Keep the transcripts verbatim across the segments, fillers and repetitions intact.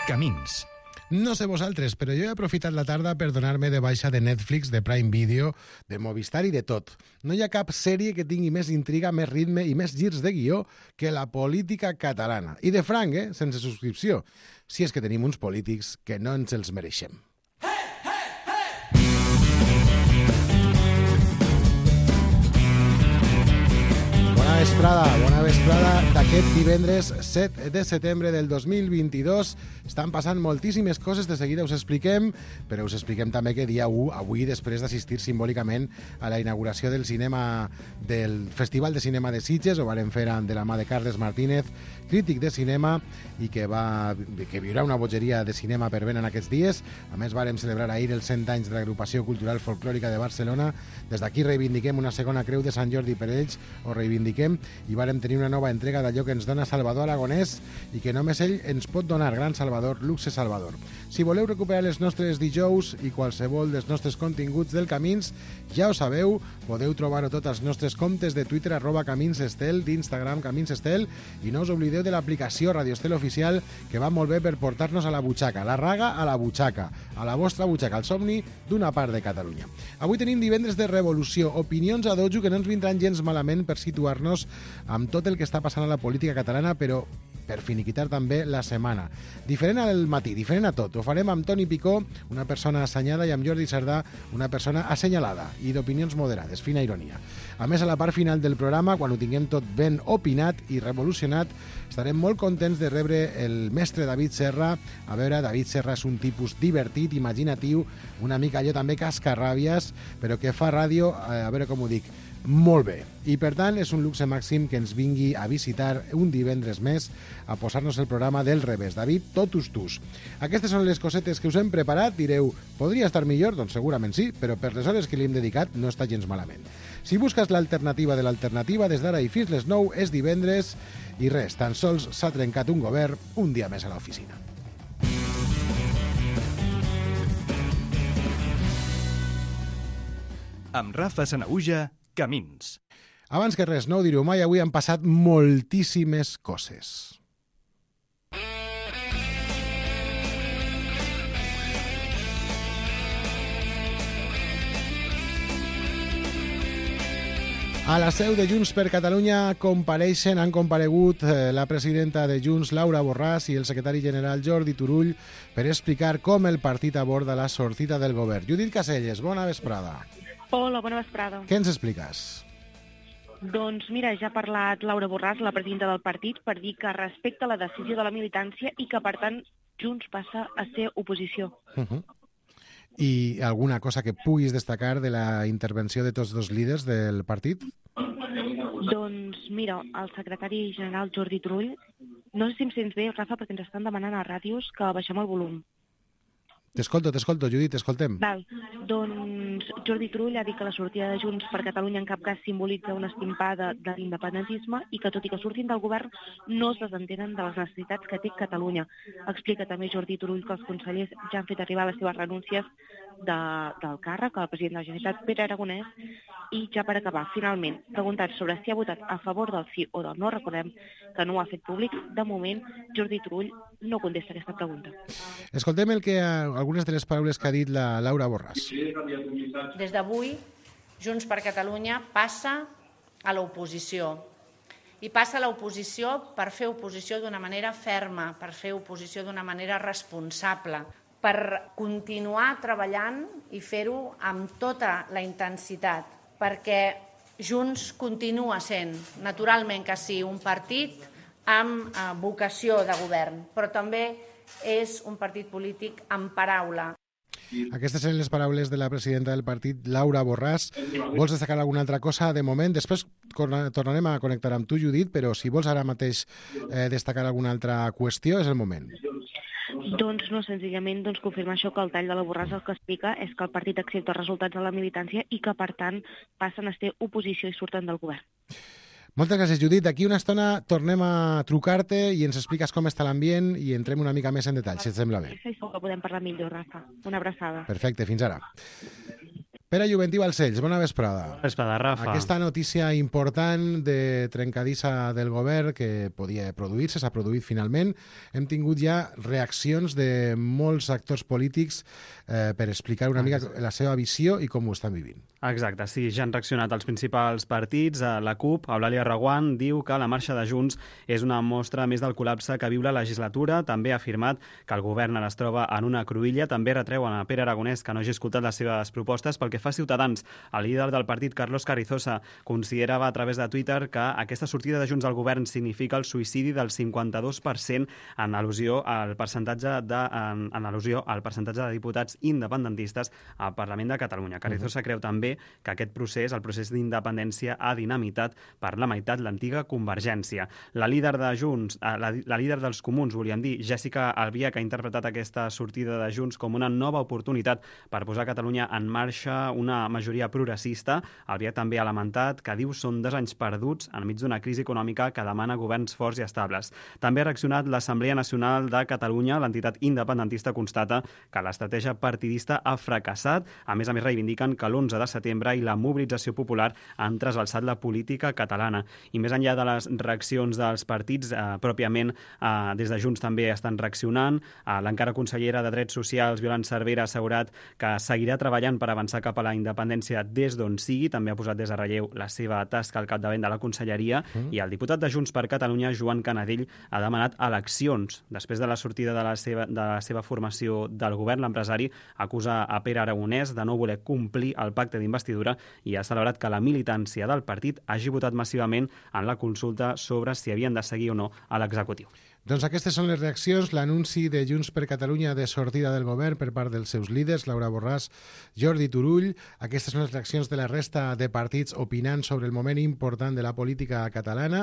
Camins. No sé vosaltres, però jo he aprofitat la tarda per donar-me de baixa de Netflix, de Prime Video, de Movistar i de tot. No hi ha cap sèrie que tingui més intriga, més ritme i més girs de guió que la política catalana. I de franc, eh? Sense subscripció. Si és que tenim uns polítics que no ens els mereixem. Bona vesprada, bona vesprada d'aquest divendres set de setembre del dos mil vint-i-dos. Estan passant moltíssimes coses, de seguida us expliquem, però us expliquem també que dia u, avui, després d'assistir simbòlicament a la inauguració del cinema del Festival de Cinema de Sitges, ho varen fer de la mà de Carles Martínez, crític de cinema, i que, va, que viurà una bogeria de cinema per ben en aquests dies. A més, vàrem celebrar ahir els cent anys de l'Agrupació Cultural Folclòrica de Barcelona. Des d'aquí reivindiquem una segona creu de Sant Jordi per ells, o reivindiquem, i vàrem tenir una nova entrega d'allò que ens dona Salvador Aragonès i que només ell ens pot donar. Gran Salvador, Luxe Salvador. Si voleu recuperar els nostres dijous i qualsevol dels nostres continguts del Camins, ja ho sabeu, podeu trobar-ho tot als nostres comptes de Twitter, arroba Camins Estel, d'Instagram Camins Estel, i no us oblideu de l'aplicació Radio Estel Oficial, que va molt bé per portar-nos a la butxaca, la raga a la butxaca, a la vostra butxaca, el somni d'una part de Catalunya. Avui tenim divendres de revolució, opinions a dojo que no ens vindran gens malament per situar-nos amb tot el que està passant a la política catalana, però per finiquitar també la setmana. Diferent al matí, diferent a tot. Ho farem amb Toni Picó, una persona assenyada, i amb Jordi Sardà, una persona assenyalada i d'opinions moderades, fina ironia. A més, a la part final del programa, quan ho tinguem tot ben opinat i revolucionat, estarem molt contents de rebre el mestre David Serra. A veure, David Serra és un tipus divertit, imaginatiu, una mica allò també cascarràbies, però que fa ràdio, a veure com ho dic, molt bé. I per tant és un luxe màxim que ens vingui a visitar un divendres més a posar-nos el programa del revés. David, totus tus. Aquestes són les cosetes que us hem preparat. Direu, podria estar millor? Doncs segurament sí, però per les hores que li hem dedicat no està gens malament. Si busques l'alternativa de l'alternativa, des d'ara i fins les nou és divendres i res, tan sols s'ha trencat un govern, un dia més a l'oficina. Amb Rafa Sanaüja, Camins. Abans que res, no ho direu mai, avui han passat moltíssimes coses. A la seu de Junts per Catalunya compareixen, han comparegut eh, la presidenta de Junts, Laura Borràs, i el secretari general Jordi Turull per explicar com el partit aborda la sortida del govern. Judit Caselles, bona vesprada. Hola, bona vesprada. Què ens expliques? Doncs mira, ja ha parlat Laura Borràs, la presidenta del partit, per dir que respecta la decisió de la militància i que, per tant, Junts passa a ser oposició. Uh-huh. I alguna cosa que puguis destacar de la intervenció de tots dos líders del partit? Doncs mira, el secretari general Jordi Turull, no sé si em sents bé, Rafa, perquè ens estan demanant a ràdios que baixem el volum. T'escolto, t'escolto, Judit, t'escoltem. Val. Doncs Jordi Turull ha dit que la sortida de Junts per Catalunya en cap cas simbolitza una estimpada de l'independentisme i que, tot i que surtin del govern, no es desentenen de les necessitats que té Catalunya. Explica també Jordi Turull que els consellers ja han fet arribar les seves renúncies de, del càrrec al president de la Generalitat, Pere Aragonès, i ja per acabar, finalment, preguntat sobre si ha votat a favor del sí o del no, recordem que no ho ha fet públic. De moment, Jordi Turull no contesta aquesta pregunta. Escoltem el que, algunes de les paraules que ha dit la Laura Borràs. Des d'avui, Junts per Catalunya passa a l'oposició. I passa a l'oposició per fer oposició d'una manera ferma, per fer oposició d'una manera responsable, per continuar treballant i fer-ho amb tota la intensitat, perquè Junts continua sent, naturalment que sí, un partit amb eh, vocació de govern, però també és un partit polític amb paraula. Aquestes són les paraules de la presidenta del partit, Laura Borràs. Vols destacar alguna altra cosa de moment? Després tornarem a connectar amb tu, Judit, però si vols ara mateix eh, destacar alguna altra qüestió, és el moment. Doncs no, senzillament doncs, confirmar això, que el tall de la Borràs el que explica és que el partit accepta els resultats de la militància i que, per tant, passen a ser oposició i surten del govern. Moltes gràcies, Judit. D'aquí una estona tornem a trucar-te i ens expliques com està l'ambient i entrem una mica més en detall, si et sembla bé. Sí, segur que podem parlar millor, Rafa. Una abraçada. Perfecte, fins ara. Pere Juventí Balcells, bona vesprada. Bona vesprada, Rafa. Aquesta notícia important de trencadissa del govern que podia produir-se, s'ha produït finalment. Hem tingut ja reaccions de molts actors polítics eh, per explicar una mica la seva visió i com ho estan vivint. Exacte, sí, ja han reaccionat els principals partits. La CUP, Eulàlia Reguant, diu que la marxa de Junts és una mostra més del col·lapse que viu la legislatura. També ha afirmat que el govern ara es troba en una cruïlla. També retreuen a Pere Aragonès que no hagi escoltat les seves propostes. Pel que fa a Ciutadans, el líder del partit, Carlos Carrizosa, considerava a través de Twitter que aquesta sortida de Junts al govern significa el suïcidi del cinquanta-dos per cent en al·lusió al percentatge de, en, en al·lusió al percentatge de diputats independentistes al Parlament de Catalunya. Carrizosa uh-huh. creu també que aquest procés, el procés d'independència, ha dinamitat per la meitat l'antiga Convergència. La líder de Junts, la, la líder dels Comuns, volíem dir, Jessica Albiach, ha interpretat aquesta sortida de Junts com una nova oportunitat per posar Catalunya en marxa una majoria progressista. Albiach també ha lamentat que diu són dos anys perduts enmig d'una crisi econòmica que demana governs forts i estables. També ha reaccionat l'Assemblea Nacional de Catalunya. L'entitat independentista constata que l'estratègia partidista ha fracassat. A més a més, reivindiquen que l'onze de setembre i la mobilització popular han trasbalsat la política catalana. I més enllà de les reaccions dels partits, eh, pròpiament eh, des de Junts també estan reaccionant. Eh, L'encara consellera de Drets Socials, Violant Cervera, ha assegurat que seguirà treballant per avançar cap a la independència des d'on sigui. També ha posat des de relleu la seva tasca al capdavant de la conselleria. Mm. I el diputat de Junts per Catalunya, Joan Canadell, ha demanat eleccions. Després de la sortida de la seva, de la seva formació del govern, l'empresari acusa a Pere Aragonès de no voler complir el pacte d'investidura i ha celebrat que la militància del partit hagi votat massivament en la consulta sobre si havien de seguir o no a l'executiu. Doncs aquestes són les reaccions, l'anunci de Junts per Catalunya de sortida del govern per part dels seus líders, Laura Borràs, Jordi Turull. Aquestes són les reaccions de la resta de partits opinant sobre el moment important de la política catalana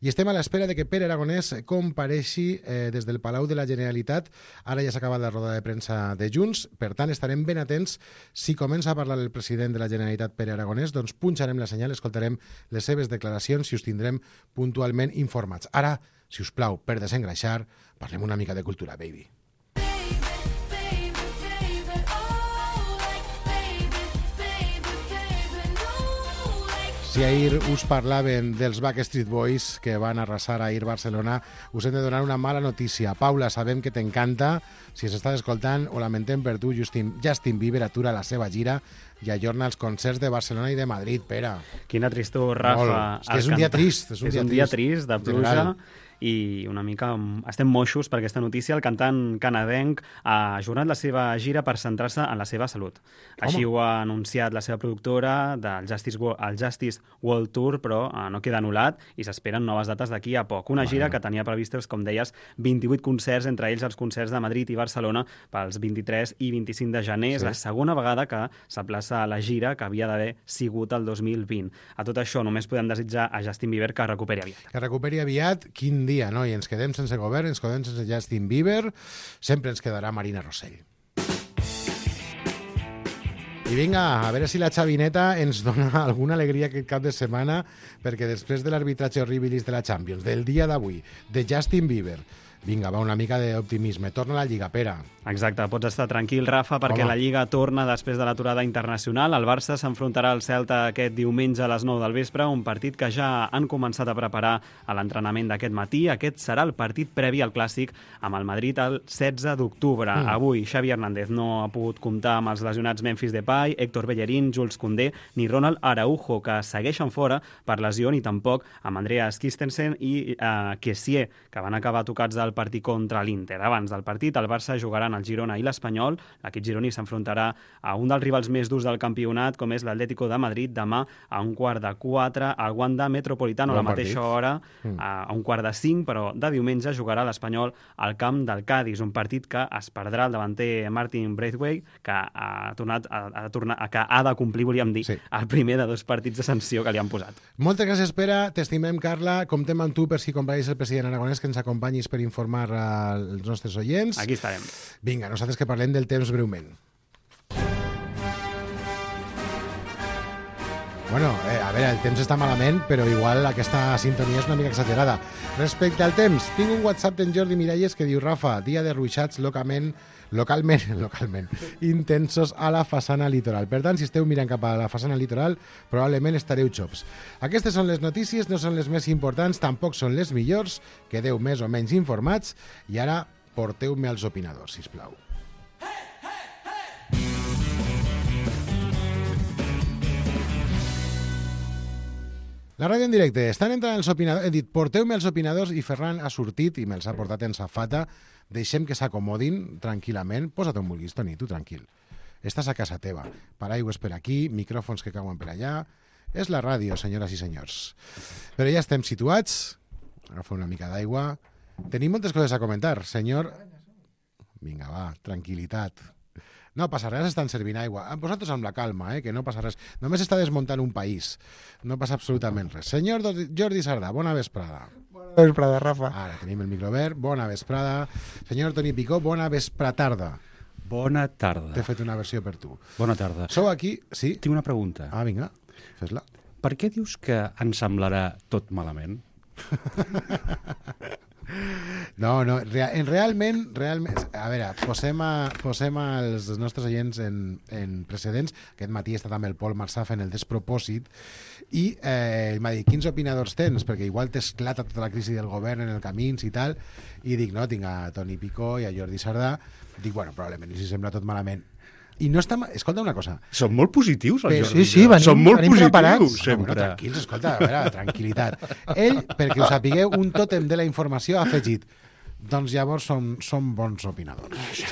i estem a l'espera de que Pere Aragonès compareixi eh, des del Palau de la Generalitat. Ara ja s'ha acabat la roda de premsa de Junts, per tant estarem ben atents. Si comença a parlar el president de la Generalitat, Pere Aragonès, doncs punxarem la senyal, escoltarem les seves declaracions i us tindrem puntualment informats. Ara, si us plau, per desengreixar, parlem una mica de cultura, baby. Si ahir us parlaven dels Backstreet Boys que van arrasar ahir Barcelona, us hem de donar una mala notícia. Paula, sabem que t'encanta. Si ens estàs escoltant, ho lamentem per tu. Justin, Justin Bieber atura la seva gira i ajorna els concerts de Barcelona i de Madrid, Pere. Quina tristor, Rafa. Molt. És que és un dia trist. És un, és dia, un dia trist, trist de pluja. General. I una mica estem moixos per aquesta notícia. El cantant canadenc ha ajornat la seva gira per centrar-se en la seva salut. Home. Així ho ha anunciat la seva productora del Justice, el Justice World Tour, però eh, no queda anul·lat i s'esperen noves dates d'aquí a poc. Una bueno. gira que tenia previstos, com deies, vint-i-vuit concerts, entre ells els concerts de Madrid i Barcelona pels vint-i-tres i vint-i-cinc de gener. Sí. És la segona vegada que s'aplaça la gira que havia d'haver sigut el dos mil vint. A tot això només podem desitjar a Justin Bieber que recuperi aviat. Que recuperi aviat. Quin dia, no? I ens quedem sense govern, ens quedem sense Justin Bieber, sempre ens quedarà Marina Rossell. I vinga, a veure si la xavineta ens dona alguna alegria aquest cap de setmana, perquè després de l'arbitratge horribilis de la Champions, del dia d'avui, de Justin Bieber, vinga, va, una mica d'optimisme. Torna a la Lliga, Pere. Exacte, pots estar tranquil, Rafa, perquè Home. la Lliga torna després de l'aturada internacional. El Barça s'enfrontarà al Celta aquest diumenge a les nou del vespre, un partit que ja han començat a preparar a l'entrenament d'aquest matí. Aquest serà el partit previ al Clàssic amb el Madrid el setze d'octubre. Mm. Avui Xavi Hernández no ha pogut comptar amb els lesionats Memphis Depay, Héctor Bellerín, Jules Koundé ni Ronald Araujo, que segueixen fora per lesió, ni tampoc amb Andreas Christensen i eh, Kessié, que van acabar tocats del partit contra l'Inter. Abans del partit, el Barça jugarà el Girona i l'Espanyol. L'equip gironí s'enfrontarà a un dels rivals més durs del campionat, com és l'Atlético de Madrid, demà a un quart de quatre al Wanda Metropolitano, a la mateixa hora, mm. a un quart de cinc, però de diumenge jugarà l'Espanyol al camp del Cádiz, un partit que es perdrà el davanter Martin Braithwaite, que ha tornat a, a, tornar, a, que ha de complir, volíem dir, sí. el primer de dos partits de sanció que li han posat. Moltes gràcies, Pere. T'estimem, Carla. Comptem amb tu per si compareix el president Aragonès, que ens acompanyis per informar als nostres oients. Aquí estarem. Vinga, nosaltres que parlem del temps breument. Bueno, eh, a veure, el temps està malament, però igual aquesta sintonia és una mica exagerada. Respecte al temps, tinc un WhatsApp d'en Jordi Miralles que diu: Rafa, dia de ruixats localment, localment, localment, intensos a la façana litoral. Per tant, si esteu mirant cap a la façana litoral, probablement estareu xops. Aquestes són les notícies, no són les més importants, tampoc són les millors, quedeu més o menys informats, i ara porteu-me als opinadors, sisplau. La ràdio en directe. Estan entrant els opinadors. He dit, porteu-me els opinadors, i Ferran ha sortit i me'ls ha portat en safata. Deixem que s'acomodin tranquil·lament. Posa't on vulguis, Toni, tu tranquil. Estàs a casa teva. Paraigües per aquí, micròfons que cauen per allà. És la ràdio, senyores i senyors. Però ja estem situats. Agafa una mica d'aigua. Tenim moltes coses a comentar, senyor. Vinga, va, tranquil·litat. No passa res, estan servint aigua. Vosaltres amb la calma, eh, que no passa res. Només està desmuntant un país. No passa absolutament res. Senyor Jordi Sardà, bona vesprada. Bona vesprada, Rafa. Ara tenim el micro obert. Bona vesprada. Senyor Toni Picó, bona vespratarda. Bona tarda. T'he fet una versió per tu. Bona tarda. Sou aquí, sí? Tinc una pregunta. Ah, vinga, fes-la. Per què dius que ens semblarà tot malament? No, no, real, realment, realment, a veure, posem, a, posem als nostres oients en, en precedents. Aquest matí està també el Pol Marsà fent el despropòsit i eh, m'ha dit, quins opinadors tens? Perquè igual t'esclata tota la crisi del govern en el camins i tal, i dic, no, tinc a Toni Picó i a Jordi Sardà. Dic, bueno, probablement, si sembla tot malament. I no està... Escolta una cosa. Són molt positius, el Però, Jordi. Sí, sí, venim, Són molt venim positius, preparats. sempre. Bueno, tranquils, escolta, a veure, tranquil·litat. Ell, perquè us sapigueu, un tòtem de la informació ha afegit. Doncs llavors som, som bons opinadors.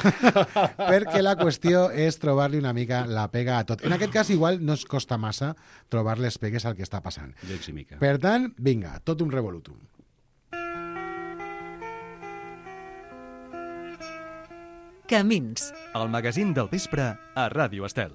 Perquè la qüestió és trobar-li una mica la pega a tot. En aquest cas, igual, no es costa massa trobar les pegues al que està passant. Gens i mica. Per tant, vinga, tot un revolutum. Camins, el magazín del vespre a Ràdio Estel.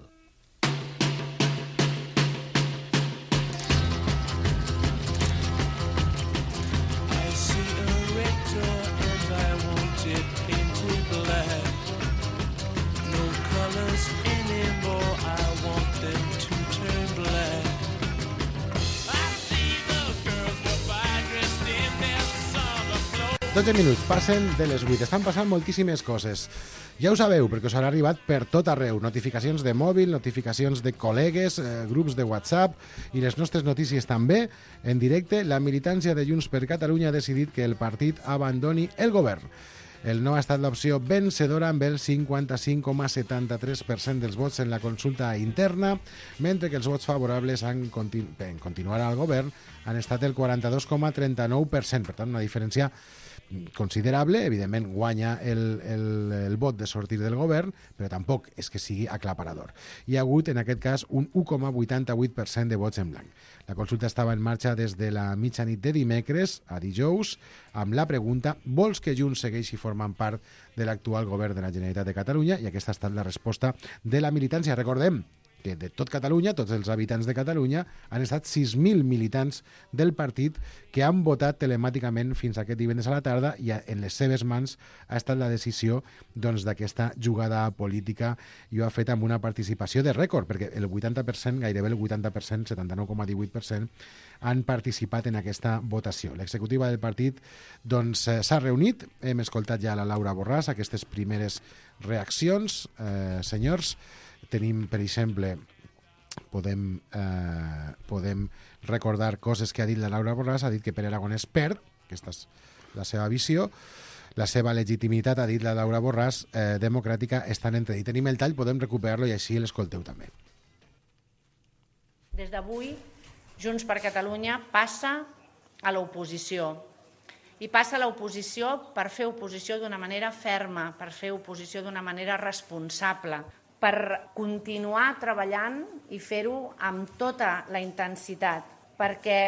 dotze minuts, passen de les vuit. Estan passant moltíssimes coses. Ja ho sabeu, perquè us han arribat per tot arreu. Notificacions de mòbil, notificacions de col·legues, eh, grups de WhatsApp i les nostres notícies també. En directe, la militància de Junts per Catalunya ha decidit que el partit abandoni el govern. El no ha estat l'opció vencedora amb el cinquanta-cinc coma setanta-tres per cent dels vots en la consulta interna, mentre que els vots favorables en, continu en continuar al govern han estat el quaranta-dos coma trenta-nou per cent. Per tant, una diferència considerable. Evidentment guanya el, el, el vot de sortir del govern, però tampoc és que sigui aclaparador. Hi ha hagut, en aquest cas, un u coma vuitanta-vuit per cent de vots en blanc. La consulta estava en marxa des de la mitjanit de dimecres a dijous, amb la pregunta: vols que Junts segueixi formant part de l'actual govern de la Generalitat de Catalunya? I aquesta ha estat la resposta de la militància. Recordem que de tot Catalunya, tots els habitants de Catalunya, han estat sis mil militants del partit que han votat telemàticament fins aquest divendres a la tarda, i en les seves mans ha estat la decisió doncs, d'aquesta jugada política, i ho ha fet amb una participació de rècord, perquè el vuitanta per cent, gairebé el vuitanta per cent, setanta-nou coma divuit per cent, han participat en aquesta votació. L'executiva del partit doncs, s'ha reunit, hem escoltat ja la Laura Borràs, aquestes primeres reaccions. Eh, senyors, tenim, per exemple, podem, eh, podem recordar coses que ha dit la Laura Borràs. Ha dit que Pere Aragonès perd, aquesta és la seva visió, la seva legitimitat, ha dit la Laura Borràs, eh, democràtica, està en entredit. Tenim el tall, podem recuperar-lo i així l'escolteu també. Des d'avui, Junts per Catalunya passa a l'oposició. I passa a l'oposició per fer oposició d'una manera ferma, per fer oposició d'una manera responsable, per continuar treballant i fer-ho amb tota la intensitat, perquè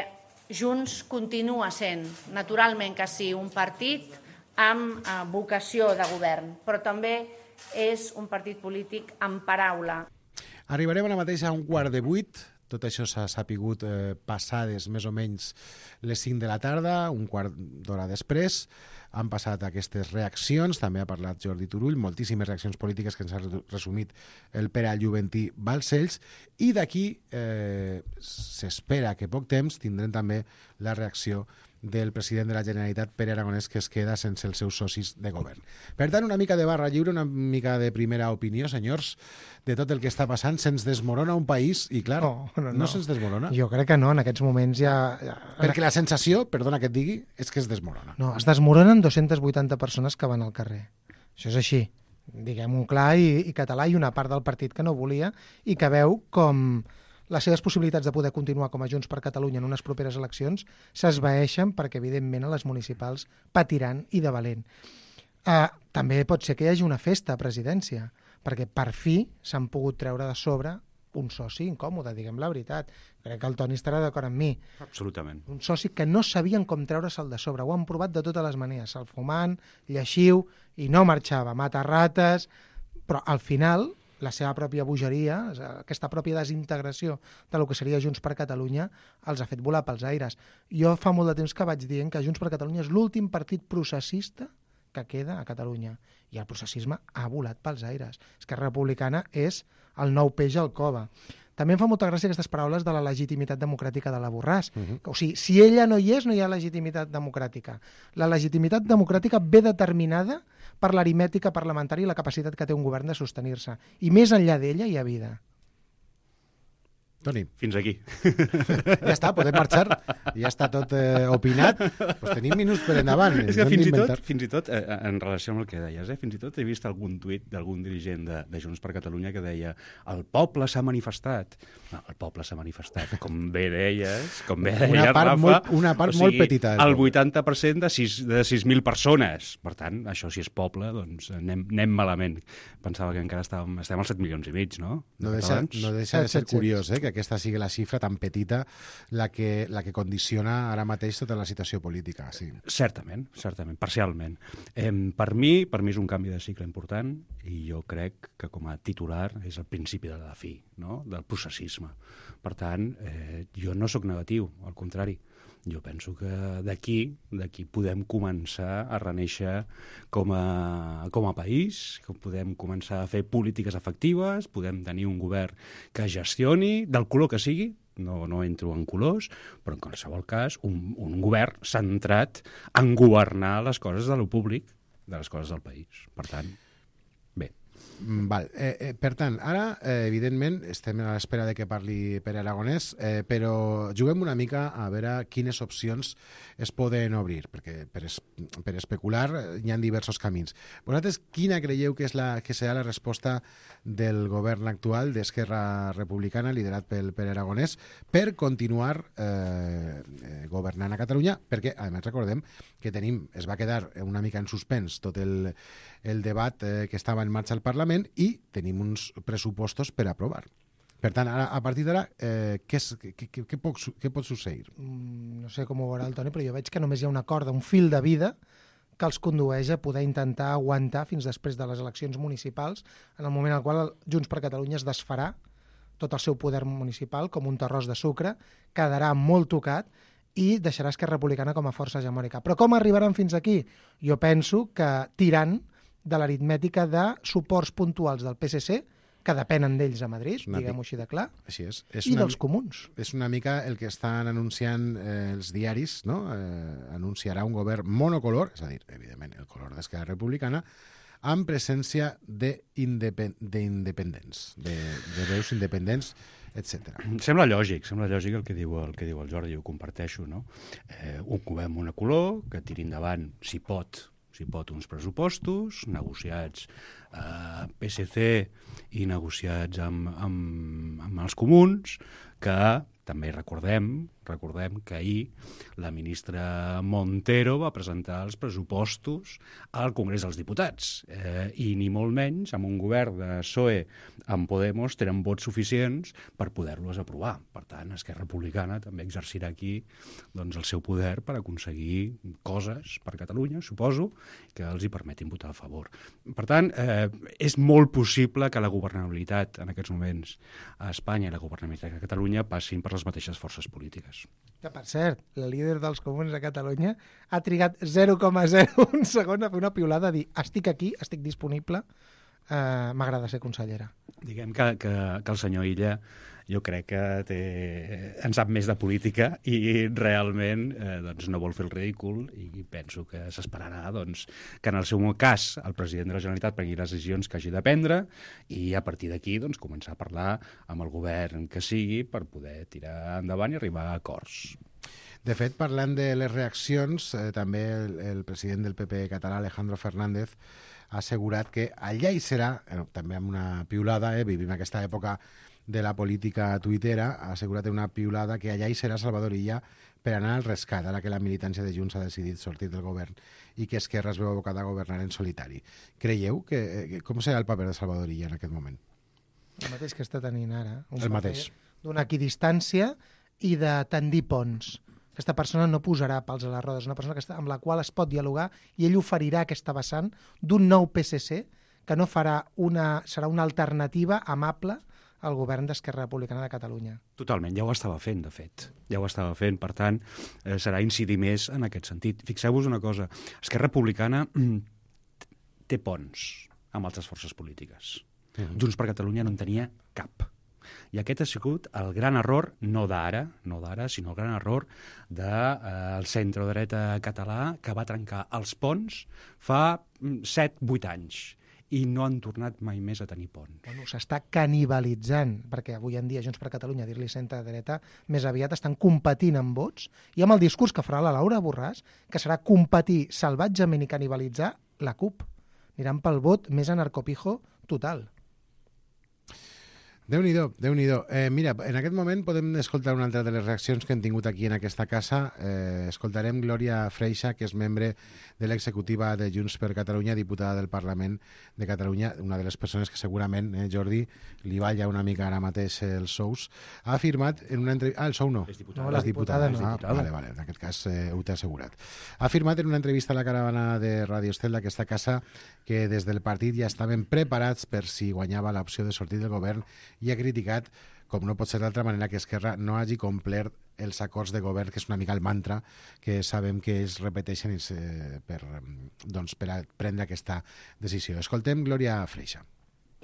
Junts continua sent, naturalment que sí, un partit amb eh, vocació de govern, però també és un partit polític amb paraula. Arribarem ara mateix a un quart de vuit. Tot això s'ha sapigut eh, passades més o menys les cinc de la tarda, un quart d'hora després. Han passat aquestes reaccions, també ha parlat Jordi Turull, moltíssimes reaccions polítiques que ens ha resumit el Pere Juventí Balcells, i d'aquí eh, s'espera que poc temps tindrem també la reacció del president de la Generalitat, Pere Aragonès, que es queda sense els seus socis de govern. Per tant, una mica de barra lliure, una mica de primera opinió, senyors, de tot el que està passant. Se'ns desmorona un país, i clar, no, no, no. no se'ns desmorona. Jo crec que no, en aquests moments ja... ja... Perquè la sensació, perdona que et digui, és que es desmorona. No, es desmoronen dues-centes vuitanta persones que van al carrer. Això és així, diguem-ho clar i, i català, i una part del partit que no volia i que veu com les seves possibilitats de poder continuar com a Junts per Catalunya en unes properes eleccions s'esvaeixen perquè, evidentment, a les municipals patiran i de valent. Uh, també pot ser que hi hagi una festa a presidència, perquè per fi s'han pogut treure de sobre un soci incòmode, diguem la veritat. Crec que el Toni estarà d'acord amb mi. Absolutament. Un soci que no sabien com treure'l de sobre. Ho han provat de totes les maneres. El fumant, lleixiu, i no marxava. Mata rates, però al final la seva pròpia bogeria, aquesta pròpia desintegració de lo que seria Junts per Catalunya, els ha fet volar pels aires. Jo fa molt de temps que vaig dient que Junts per Catalunya és l'últim partit processista que queda a Catalunya. I el processisme ha volat pels aires. Esquerra Republicana és el nou peix al cova. També em fa molta gràcia aquestes paraules de la legitimitat democràtica de la Borràs. Uh-huh. O sigui, si ella no hi és, no hi ha legitimitat democràtica. La legitimitat democràtica ve determinada per l'aritmètica parlamentària i la capacitat que té un govern de sostenir-se. I més enllà d'ella hi ha vida. Toni. Fins aquí. Ja està, podem marxar. Ja està tot eh, opinat. Pues tenim minuts per endavant. És que fins i tot, fins i tot eh, en relació amb el que deies, eh, fins i tot he vist algun tuit d'algun dirigent de, de Junts per Catalunya que deia el poble s'ha manifestat. No, el poble s'ha manifestat. Com bé deies, com bé deies, una part Rafa, molt, una part o sigui, molt petita. El vuitanta per cent de sis mil persones. Per tant, això si és poble, doncs anem, anem malament. Pensava que encara estàvem, estem als set milions i mig, no? No deixa, no deixa de ser curiós, eh, que aquesta sigui la xifra tan petita la que, la que condiciona ara mateix tota la situació política. Sí. Certament, certament, parcialment. Eh, per mi, per mi és un canvi de cicle important i jo crec que com a titular és el principi de la fi, no?, del processisme. Per tant, eh, jo no sóc negatiu, al contrari. Jo penso que d'aquí d'aquí podem començar a reneixer com a, com a país, que podem començar a fer polítiques efectives, podem tenir un govern que gestioni, del color que sigui, no, no entro en colors, però en qualsevol cas un, un govern centrat en governar les coses de lo públic, de les coses del país. Per tant, bé. Val. Eh, eh, per tant, ara, eh, evidentment, estem a l'espera de que parli Pere Aragonès, eh, però juguem una mica a veure quines opcions es poden obrir, perquè per, es, per especular hi ha diversos camins. Vosaltres, quina creieu que, és la, que serà la resposta del govern actual d'Esquerra Republicana, liderat pel Pere Aragonès, per continuar eh, eh, governant a Catalunya? Perquè, a més, recordem que tenim, es va quedar una mica en suspens tot el, el debat eh, que estava en marxa al Parlament i tenim uns pressupostos per aprovar. Per tant, ara, a partir d'ara, eh, què, què, què, què, pot, què pot succeir? Mm, no sé com ho veurà el Toni, però jo veig que només hi ha una corda, un fil de vida que els condueix a poder intentar aguantar fins després de les eleccions municipals, en el moment en el qual Junts per Catalunya es desfarà tot el seu poder municipal com un terròs de sucre, quedarà molt tocat i deixarà Esquerra Republicana com a força hegemònica. Però com arribaran fins aquí? Jo penso que tirant de l'aritmètica de suports puntuals del P S C, que depenen d'ells a Madrid, diguem-ho així de clar, així és. És i una, dels comuns. És una mica el que estan anunciant eh, els diaris, no? Eh, anunciarà un govern monocolor, és a dir, evidentment, el color d'Esquerra Republicana, amb presència d'independents, de, de veus independents, etcètera. Sembla lògic, sembla lògic el que diu el, que diu el Jordi, ho comparteixo, no? Eh, un govern monocolor que tiri endavant, si pot, si pot, uns pressupostos negociats a eh, P S C i negociats amb, amb, amb els comuns, que també recordem Recordem que ahir la ministra Montero va presentar els pressupostos al Congrés dels Diputats eh, i ni molt menys amb un govern de P S O E amb Podemos tenen vots suficients per poder-los aprovar. Per tant, Esquerra Republicana també exercirà aquí doncs, el seu poder per aconseguir coses per Catalunya, suposo, que els hi permetin votar a favor. Per tant, eh, és molt possible que la governabilitat en aquests moments a Espanya i la governabilitat a Catalunya passin per les mateixes forces polítiques. Que, per cert, la líder dels comuns a Catalunya ha trigat zero coma zero un segon a fer una piulada a dir estic aquí, estic disponible, eh, m'agrada ser consellera. Diguem que, que, que el senyor Illa jo crec que té, en sap més de política i realment eh, doncs no vol fer el ridícul i penso que s'esperarà doncs, que en el seu cas el president de la Generalitat prengui les decisions que hagi de prendre i a partir d'aquí doncs, començar a parlar amb el govern que sigui per poder tirar endavant i arribar a acords. De fet, parlant de les reaccions, eh, també el, el president del P P català, Alejandro Fernández, ha assegurat que allà hi serà, eh, també amb una piulada, eh, vivim aquesta època de la política tuitera, ha assegurat en una piulada que allà hi serà Salvador Illa per anar al rescat, ara que la militància de Junts ha decidit sortir del govern i que Esquerra es veu abocada a governar en solitari. Creieu que, que com serà el paper de Salvador Illa en aquest moment? El mateix que està tenint ara. Un el mateix. D'una equidistància i de tendir ponts. Aquesta persona no posarà pals a les rodes, una persona que està, amb la qual es pot dialogar i ell oferirà aquesta vessant d'un nou P S C que no farà una, serà una alternativa amable al govern d'Esquerra Republicana de Catalunya. Totalment, ja ho estava fent, de fet. Ja ho estava fent, per tant, eh, serà incidir més en aquest sentit. Fixeu-vos una cosa, Esquerra Republicana mm, té ponts amb altres forces polítiques. Mm-hmm. Junts per Catalunya no en tenia cap. I aquest ha sigut el gran error, no d'ara, no d'ara, sinó el gran error del de, eh, centre-dreta català que va trencar els ponts fa set vuit anys. I no han tornat mai més a tenir ponts. Bueno, s'està canibalitzant, perquè avui en dia Junts per Catalunya, dir-li centre-dreta, més aviat estan competint amb vots, i amb el discurs que farà la Laura Borràs, que serà competir salvatgement i canibalitzar la CUP. Aniran pel vot més anarcopijo total. Déu-n'hi-do, Déu-n'hi-do. Eh, mira, en aquest moment podem escoltar una altra de les reaccions que hem tingut aquí en aquesta casa. Eh, escoltarem Glòria Freixa, que és membre de l'executiva de Junts per Catalunya, diputada del Parlament de Catalunya, una de les persones que segurament, eh, Jordi, li balla una mica ara mateix els sous. Ha afirmat en una entrevista... Ah, el sou no. És diputada. No, la diputada no. Ah, vale, vale, en aquest cas eh, ho t'he assegurat. Ha afirmat en una entrevista a la caravana de Radio Estel d'aquesta casa que des del partit ja estaven preparats per si guanyava l'opció de sortir del govern i ha criticat, com no pot ser d'altra manera, que Esquerra no hagi complert els acords de govern, que és una mica el mantra que sabem que es repeteixen eh, per, doncs, per a prendre aquesta decisió. Escoltem Glòria Freixa.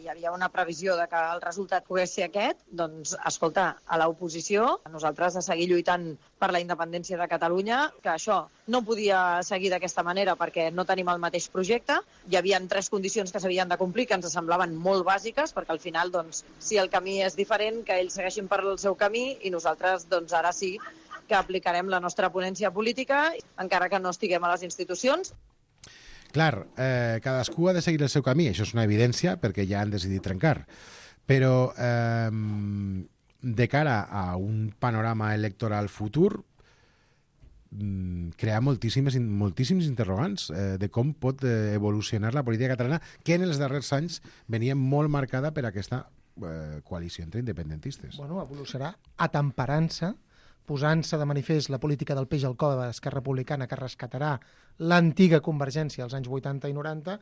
Hi havia una previsió de que el resultat pogués ser aquest, doncs, escolta, a l'oposició, a nosaltres a seguir lluitant per la independència de Catalunya, que això no podia seguir d'aquesta manera perquè no tenim el mateix projecte. Hi havia tres condicions que s'havien de complir que ens semblaven molt bàsiques, perquè al final, doncs, si el camí és diferent, que ells segueixin per el seu camí i nosaltres, doncs, ara sí que aplicarem la nostra ponència política, encara que no estiguem a les institucions. Clar, eh, cadascú ha de seguir el seu camí, això és una evidència, perquè ja han decidit trencar. Però eh, de cara a un panorama electoral futur, crea moltíssimes, moltíssims interrogants eh, de com pot eh, evolucionar la política catalana, que en els darrers anys venia molt marcada per aquesta eh, coalició entre independentistes. Bueno, evolucionarà atemperant-se, posant-se de manifest la política del peix al cove d'Esquerra Republicana que rescatarà l'antiga Convergència als anys vuitanta i noranta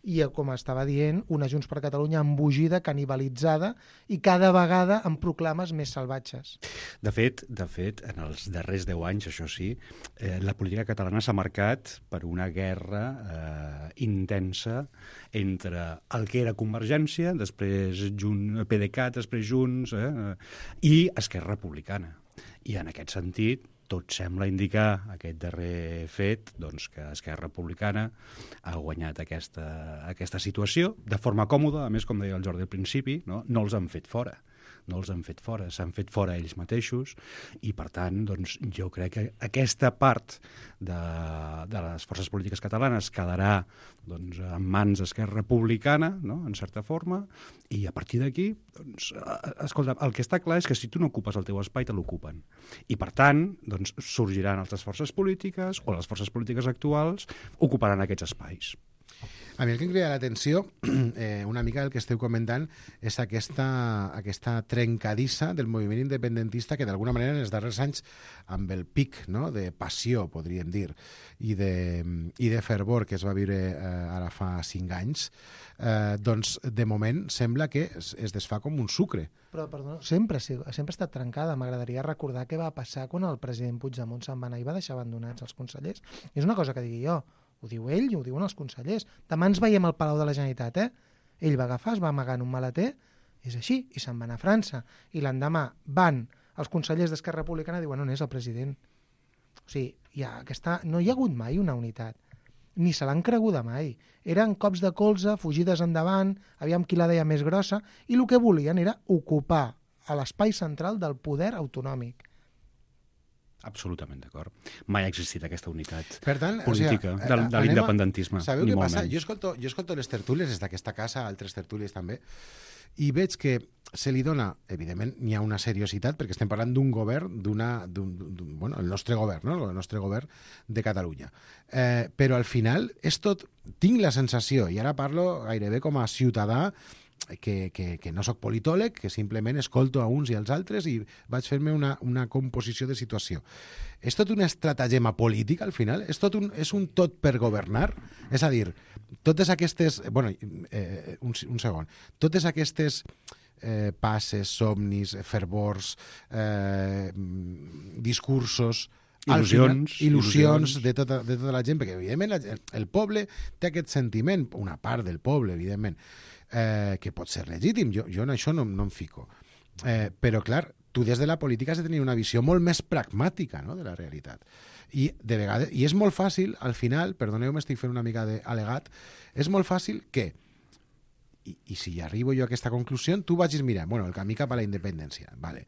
i, com estava dient, una Junts per Catalunya embogida, canibalitzada i cada vegada amb proclames més salvatges. De fet, de fet, en els darrers deu anys, això sí, eh, la política catalana s'ha marcat per una guerra eh, intensa entre el que era Convergència, després Junt, P D C A T, després Junts, eh, i Esquerra Republicana. I en aquest sentit, tot sembla indicar aquest darrer fet doncs, que Esquerra Republicana ha guanyat aquesta, aquesta situació de forma còmoda, a més, com deia el Jordi al principi, no, no els han fet fora no els han fet fora, s'han fet fora ells mateixos, i per tant, doncs, jo crec que aquesta part de, de les forces polítiques catalanes quedarà doncs, en mans d'Esquerra Republicana, no?, en certa forma, i a partir d'aquí, doncs, escolta, el que està clar és que si tu no ocupes el teu espai, te l'ocupen. I per tant, doncs, sorgiran altres forces polítiques, o les forces polítiques actuals ocuparan aquests espais. A mi el que em crida l'atenció, eh, una mica el que esteu comentant, és aquesta, aquesta trencadissa del moviment independentista que d'alguna manera en els darrers anys, amb el pic, no?, de passió, podríem dir, i de, i de fervor que es va viure eh, ara fa cinc anys, eh, doncs de moment sembla que es, es desfà com un sucre. Però, perdó, sempre, sempre ha estat trencada. M'agradaria recordar què va passar quan el president Puigdemont se'n va anar i va deixar abandonats els consellers. És una cosa que digui jo. Ho diu ell i ho diuen els consellers. Demà ens veiem al Palau de la Generalitat, eh? Ell va agafar, es va amagar en un maleter, és així, i se'n va anar a França. I l'endemà van els consellers d'Esquerra Republicana i diuen on és el president. O sigui, hi ha aquesta... no hi ha hagut mai una unitat. Ni se l'han creguda mai. Eren cops de colze, fugides endavant, aviam qui la deia més grossa, i el que volien era ocupar a l'espai central del poder autonòmic. Absolutament d'acord. Mai ha existit aquesta unitat per tant, política o sigui, de, de l'independentisme. Sabeu què passa? Jo escolto, jo escolto les tertúlies des d'aquesta casa, altres tertúlies també, i veig que se li dona, evidentment, n'hi ha una seriositat, perquè estem parlant d'un govern, d'una, d'un, d'un, bueno, el nostre govern, no?, el nostre govern de Catalunya. Eh, però al final és tot, tinc la sensació, i ara parlo gairebé com a ciutadà, que, que, que no sóc politòleg, que simplement escolto a uns i als altres i vaig fer-me una, una composició de situació. És tot una estratagema política, al final? És, tot un, és un tot per governar? És a dir, totes aquestes... bueno, eh, un, un segon. Totes aquestes eh, passes, somnis, fervors, eh, discursos... Il·lusions, final, il·lusions de tota, de tota la gent, perquè evidentment el, el poble té aquest sentiment, una part del poble, evidentment, eh, que pot ser legítim, jo, jo en això no, no em fico. Eh, però, clar, tu des de la política has de tenir una visió molt més pragmàtica, no?, de la realitat. I, de vegades, i és molt fàcil, al final, perdoneu, m'estic fent una mica d'alegat, és molt fàcil que, i, i si arribo jo a aquesta conclusió, tu vagis mirar, bueno, el camí cap a la independència, vale.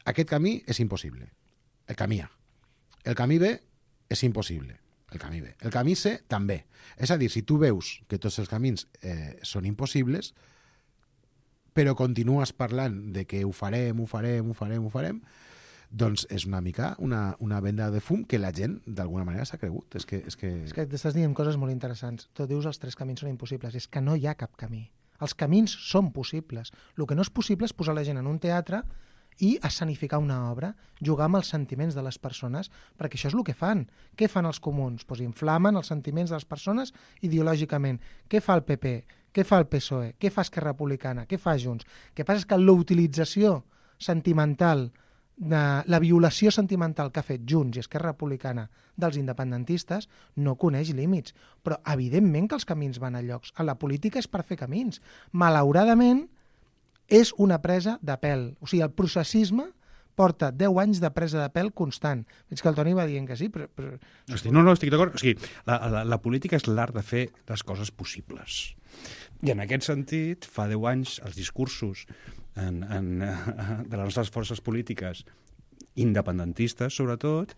Aquest camí és impossible, el camí A. El camí B és impossible, el camí B. El camí C també. És a dir, si tu veus que tots els camins eh, són impossibles, però continues parlant de que ho farem, ho farem, ho farem, ho farem, doncs és una mica una, una venda de fum que la gent d'alguna manera s'ha cregut. És que, és que... És que t'estàs dient coses molt interessants. Tu dius els tres camins són impossibles. És que no hi ha cap camí. Els camins són possibles. El que no és possible és posar la gent en un teatre i escenificar una obra, jugar amb els sentiments de les persones, perquè això és el que fan. Què fan els comuns? Pues inflamen els sentiments de les persones ideològicament. Què fa el P P? Què fa el P S O E? Què fa Esquerra Republicana? Què fa Junts? El que passa és que la utilització sentimental, de la violació sentimental que ha fet Junts i Esquerra Republicana dels independentistes no coneix límits. Però evidentment que els camins van a llocs. A la política és per fer camins. Malauradament, és una presa de pèl. O sigui, el processisme porta deu anys de presa de pèl constant. Veig que el Toni va dient que sí, però... però... Hosti, no, no, estic d'acord. O sigui, la, la, la política és l'art de fer les coses possibles. I en aquest sentit, fa deu anys, els discursos en, en, de les nostres forces polítiques independentistes, sobretot,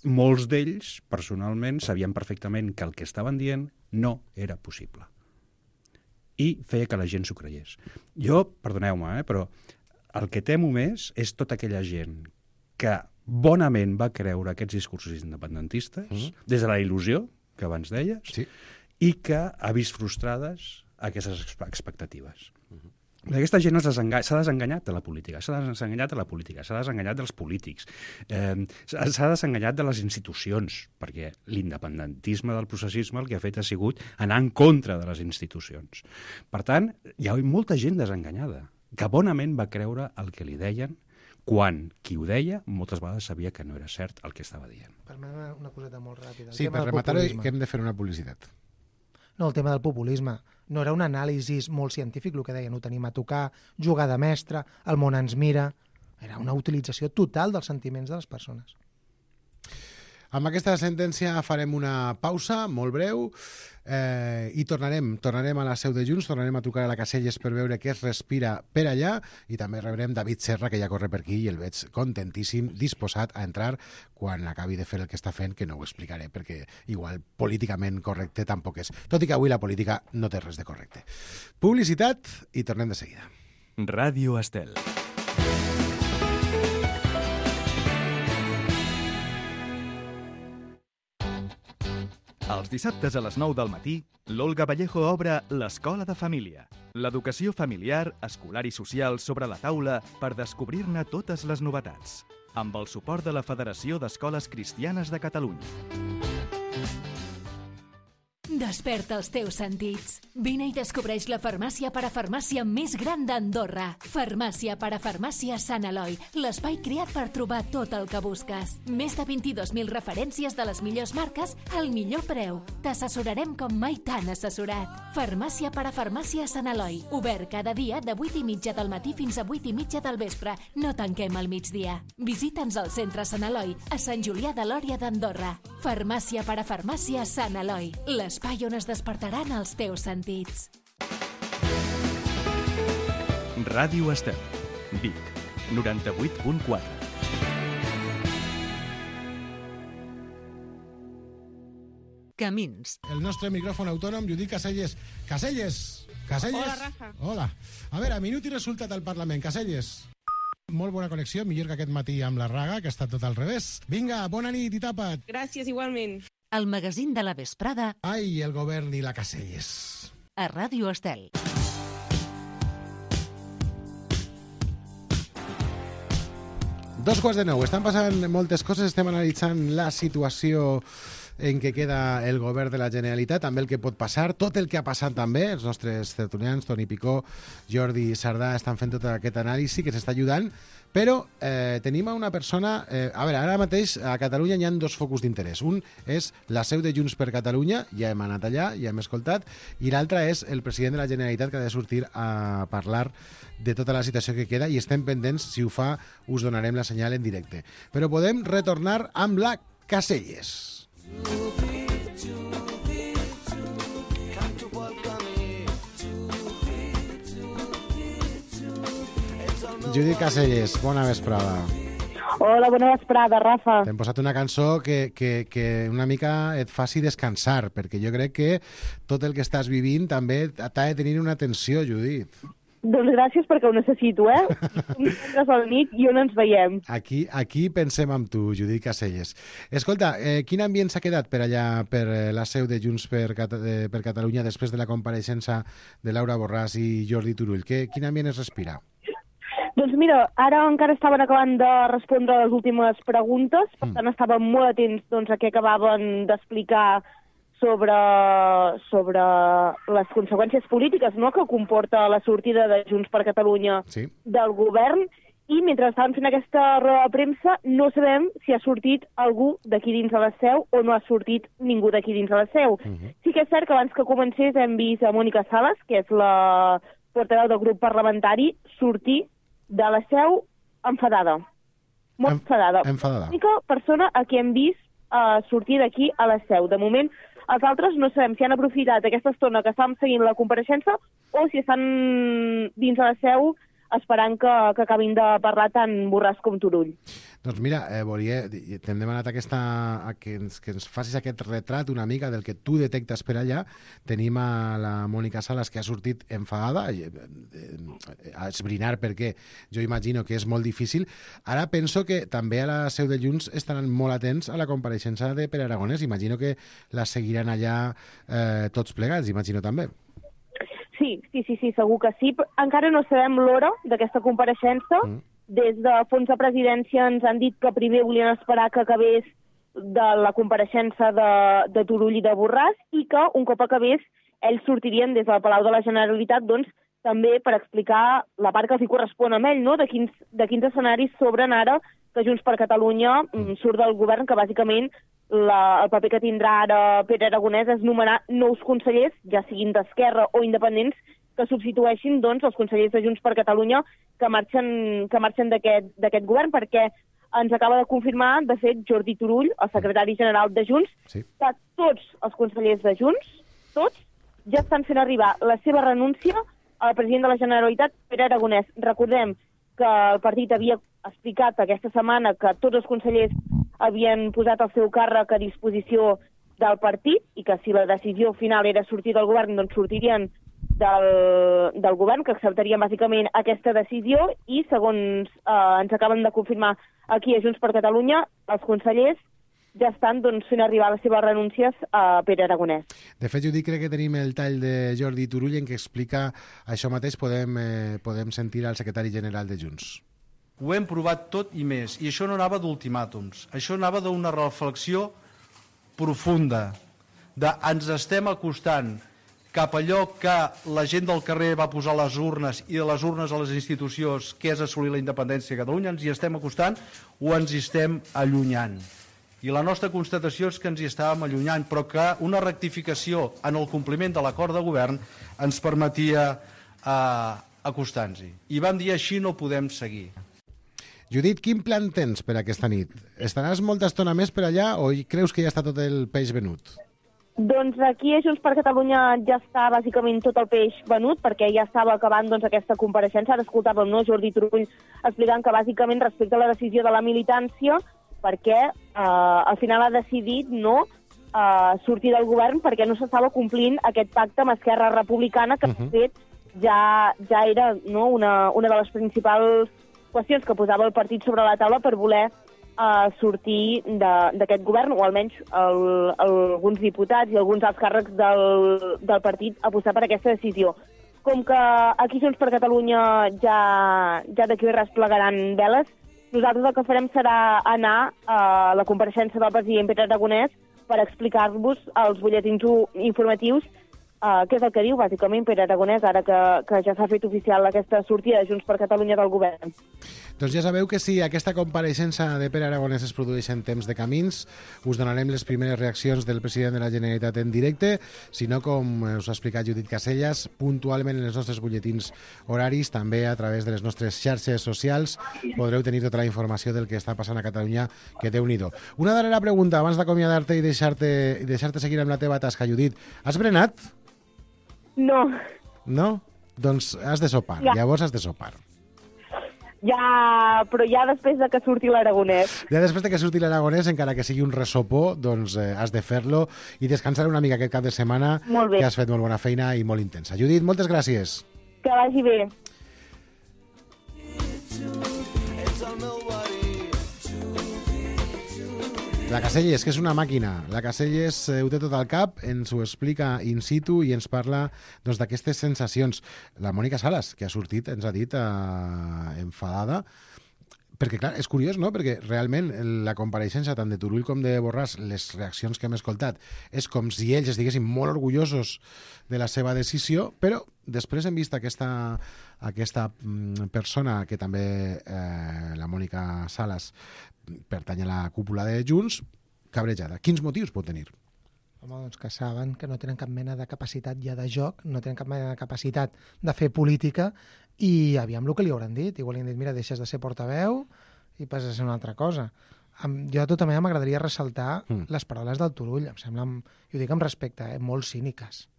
molts d'ells, personalment, sabien perfectament que el que estaven dient no era possible. I feia que la gent s'ho creiés. Jo, perdoneu-me, eh, però el que temo més és tota aquella gent que bonament va creure aquests discursos independentistes, mm-hmm. des de la il·lusió, que abans deies, sí. i que ha vist frustrades aquestes expectatives. Mm-hmm. Aquesta gent s'ha desenganyat de la política, s'ha desenganyat de la política, s'ha desenganyat dels polítics, eh, s'ha desenganyat de les institucions, perquè l'independentisme del processisme el que ha fet ha sigut anar en contra de les institucions. Per tant, hi ha molta gent desenganyada, que bonament va creure el que li deien, quan qui ho deia moltes vegades sabia que no era cert el que estava dient. Permet-me una coseta molt ràpida. Sí, per rematar que hem de fer una publicitat. No, el tema del populisme. No era un anàlisi molt científic, el que deien, ho tenim a tocar, jugar de mestre, el món ens mira. Era una utilització total dels sentiments de les persones. Amb aquesta sentència farem una pausa molt breu eh, i tornarem, tornarem a la seu de Junts, tornarem a trucar a la Caselles per veure què es respira per allà i també rebrem David Serra, que ja corre per aquí i el veig contentíssim, disposat a entrar quan acabi de fer el que està fent, que no ho explicaré perquè igual políticament correcte tampoc és. Tot i que avui la política no té res de correcte. Publicitat i tornem de seguida. Ràdio Estel. Els dissabtes a les nou del matí, l'Olga Vallejo obre l'Escola de Família. L'educació familiar, escolar i social sobre la taula per descobrir-ne totes les novetats. Amb el suport de la Federació d'Escoles Cristianes de Catalunya. Desperta els teus sentits. Vine i descobreix la farmàcia parafarmàcia més gran d'Andorra. Farmàcia parafarmàcia Sant Eloi, l'espai creat per trobar tot el que busques. Més de vint-i-dos mil referències de les millors marques al millor preu. T'assessorarem com mai t'han assessorat. Farmàcia parafarmàcia Sant Eloi, obert cada dia de vuit i mitja del matí fins a vuit i mitja del vespre. No tanquem al migdia. Visita'ns al centre Sant Eloi, a Sant Julià de Lòria d'Andorra. Farmàcia parafarmàcia Sant Eloi, l'espai on es despertaran els teus sentits. Ràdio Estel, Vic, noranta-vuit punt quatre. Camins. El nostre micròfon autònom, Judit Caselles. Caselles! Caselles! Hola, Rafa. Hola. A veure, minut i resultat al Parlament. Caselles. Molt bona connexió, millor que aquest matí amb la Raga, que ha estat tot al revés. Vinga, bona nit i tapa't. Gràcies, igualment. El magazín de la vesprada. Ai, el govern i la Caselles. A Ràdio Estel. Dos quarts de nou. Estan passant moltes coses. Estem analitzant la situació en què queda el govern de la Generalitat, també el que pot passar, tot el que ha passat també. Els nostres tertulians, Toni Picó, Jordi Sardà, estan fent tot aquest anàlisi que s'està ajudant, però eh, tenim a una persona... Eh, a veure, ara mateix a Catalunya hi ha dos focus d'interès. Un és la seu de Junts per Catalunya, ja hem anat allà, ja hem escoltat, i l'altre és el president de la Generalitat, que ha de sortir a parlar de tota la situació que queda, i estem pendents, si ho fa, us donarem la senyal en directe. Però podem retornar amb la Caselles. Judit Caselles, bona vesprada. Hola, bona vesprada, Rafa. T'hem posat una cançó que, que, que una mica et faci descansar, perquè jo crec que tot el que estàs vivint també t'ha de tenir una tensió, Judit. Doncs gràcies perquè ho necessito, eh? Un divendres a la nit i on ens veiem. Aquí, aquí pensem amb tu, Judit Caselles. Escolta, eh, quin ambient s'ha quedat per allà, per la seu de Junts per, Cat eh, per Catalunya, després de la compareixença de Laura Borràs i Jordi Turull? Que, quin ambient es respira? Doncs mira, ara encara estaven acabant de respondre les últimes preguntes, per tant estàvem molt atents doncs, a què acabaven d'explicar sobre, sobre les conseqüències polítiques, no?, que comporta la sortida de Junts per Catalunya sí. del govern, i mentre estaven fent aquesta roda de premsa no sabem si ha sortit algú d'aquí dins de la seu o no ha sortit ningú d'aquí dins de la seu. Uh -huh. Sí que és cert que abans que comencés hem vist a Mònica Sales, que és la portaveu del grup parlamentari, sortir de la seu enfadada. Molt enfadada. Enfadada. L'única persona a qui hem vist uh, sortir d'aquí a la seu. De moment, els altres no sabem si han aprofitat aquesta estona que estàvem seguint la compareixença o si estan dins de la seu esperant que, que acabin de parlar tant Borràs com Turull. Doncs mira, eh, volia, t'hem demanat aquesta, a que, ens, que ens facis aquest retrat una mica del que tu detectes per allà. Tenim a la Mònica Sales, que ha sortit enfadada, eh, eh, a esbrinar perquè jo imagino que és molt difícil. Ara penso que també a la seu de Junts estaran molt atents a la compareixença de Pere Aragonès. Imagino que la seguiran allà eh, tots plegats, imagino també. Sí, sí, sí, sí, segur que sí. Encara no sabem l'hora d'aquesta compareixença. Mm. Des de fons de presidència ens han dit que primer volien esperar que acabés de la compareixença de, de Turull i de Borràs i que un cop acabés ells sortirien des del Palau de la Generalitat doncs, també per explicar la part que els hi correspon a ell, no? de, quins, de quins escenaris s'obren ara que Junts per Catalunya mm. surt del govern, que bàsicament la, el paper que tindrà ara Pere Aragonès és nomenar nous consellers, ja siguin d'Esquerra o independents, que substitueixin doncs, els consellers de Junts per Catalunya que marxen, que marxen d'aquest govern, perquè ens acaba de confirmar, de fet, Jordi Turull, el secretari general de Junts, sí. que tots els consellers de Junts, tots, ja estan fent arribar la seva renúncia al president de la Generalitat, Pere Aragonès. Recordem que el partit havia explicat aquesta setmana que tots els consellers havien posat el seu càrrec a disposició del partit i que si la decisió final era sortir del govern, doncs sortirien del, del govern, que acceptarien bàsicament aquesta decisió i, segons eh, ens acaben de confirmar aquí a Junts per Catalunya, els consellers ja estan doncs, fent arribar les seves renúncies a Pere Aragonès. De fet, Judit, crec que tenim el tall de Jordi Turull en què explica això mateix. Podem, eh, podem sentir al secretari general de Junts. Ho hem provat tot i més, i això no anava d'ultimàtums, això anava d'una reflexió profunda, de ens estem acostant cap a allò que la gent del carrer va posar a les urnes i de les urnes a les institucions, que és assolir la independència de Catalunya, ens hi estem acostant o ens hi estem allunyant. I la nostra constatació és que ens hi estàvem allunyant, però que una rectificació en el compliment de l'acord de govern ens permetia eh, acostar-nos-hi. I vam dir així no podem seguir. Judit, quin plan tens per aquesta nit? Estaràs molta estona més per allà o creus que ja està tot el peix venut? Doncs aquí a Junts per Catalunya ja està bàsicament tot el peix venut, perquè ja estava acabant doncs, aquesta compareixença. Ara escoltàvem, no?, Jordi Turull explicant que bàsicament respecte a la decisió de la militància, perquè eh, al final ha decidit no eh, sortir del govern perquè no s'estava complint aquest pacte amb Esquerra Republicana, que de fet ja, ja era no, una, una de les principals qüestions que posava el partit sobre la taula per voler uh, sortir d'aquest govern, o almenys el, el, alguns diputats i alguns alts càrrecs del, del partit apostar per aquesta decisió. Com que aquí Junts per Catalunya ja, ja d'aquí res plegaran veles, nosaltres el que farem serà anar a la compareixença del president Pere Aragonès per explicar-vos els butlletins informatius Uh, què és el que diu, bàsicament, Pere Aragonès, ara que, que ja s'ha fet oficial aquesta sortida de Junts per Catalunya del govern. Doncs ja sabeu que si aquesta compareixença de Pere Aragonès es produeix en temps de camins, us donarem les primeres reaccions del president de la Generalitat en directe, si no, com us ha explicat Judit Caselles, puntualment en els nostres butlletins horaris, també a través de les nostres xarxes socials, podreu tenir tota la informació del que està passant a Catalunya, que Déu-n'hi-do. Una darrera pregunta, abans d'acomiadar-te i deixar-te i deixar-te seguir amb la teva tasca, Judit. Has berenat? No. No? Doncs has de sopar, ja. Llavors has de sopar. Ja, però ja després de que surti l'Aragonès. Ja després de que surti l'Aragonès, encara que sigui un resopó, doncs eh, has de fer-lo i descansar una mica aquest cap de setmana, que has fet molt bona feina i molt intensa. Judit, moltes gràcies. Que vagi bé. La Caselles, que és una màquina. La Caselles eh, ho té tot al cap, ens ho explica in situ i ens parla doncs, d'aquestes sensacions. La Mònica Sales, que ha sortit, ens ha dit eh, enfadada, perquè, clar, és curiós, no?, perquè realment la compareixença tant de Turull com de Borràs, les reaccions que hem escoltat, és com si ells estiguessin molt orgullosos de la seva decisió, però després hem vist aquesta, aquesta persona, que també eh, la Mònica Sales pertany a la cúpula de Junts, cabrejada. Quins motius pot tenir? Home, doncs que saben que no tenen cap mena de capacitat ja de joc, no tenen cap mena de capacitat de fer política, i aviam el que li hauran dit. Igual li han dit, mira, deixes de ser portaveu i passes a ser una altra cosa. Jo de tota manera m'agradaria ressaltar mm. les paraules del Turull, em semblen, i ho dic amb respecte, eh, molt cíniques.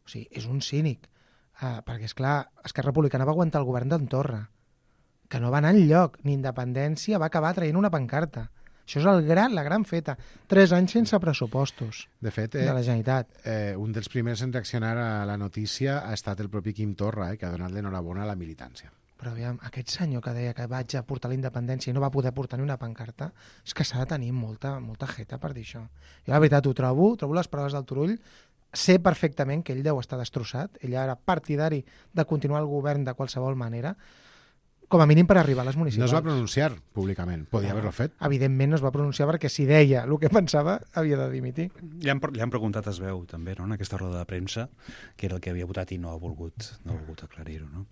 O sigui, és un cínic, eh, perquè, esclar, Esquerra Republicana va aguantar el govern d'en Torra, que no va anar enlloc, ni independència, va acabar traient una pancarta. Això és el gran, la gran feta. Tres anys sense pressupostos de, fet, eh, de la Generalitat. Eh, un dels primers en reaccionar a la notícia ha estat el propi Quim Torra, eh, que ha donat l'enhorabona a la militància. Però aviam, aquest senyor que deia que vaig a portar la independència i no va poder portar ni una pancarta, és que s'ha de tenir molta, molta jeta per dir això. Jo la veritat ho trobo, trobo les paraules del Turull, sé perfectament que ell deu estar destrossat, ell era partidari de continuar el govern de qualsevol manera, com a mínim per arribar a les municipals. No es va pronunciar públicament, podia no, haver-lo fet. Evidentment no es va pronunciar perquè si deia el que pensava havia de dimitir. Li han, li han preguntat es veu també, no?, en aquesta roda de premsa, que era el que havia votat i no ha volgut, no ha volgut aclarir-ho. No?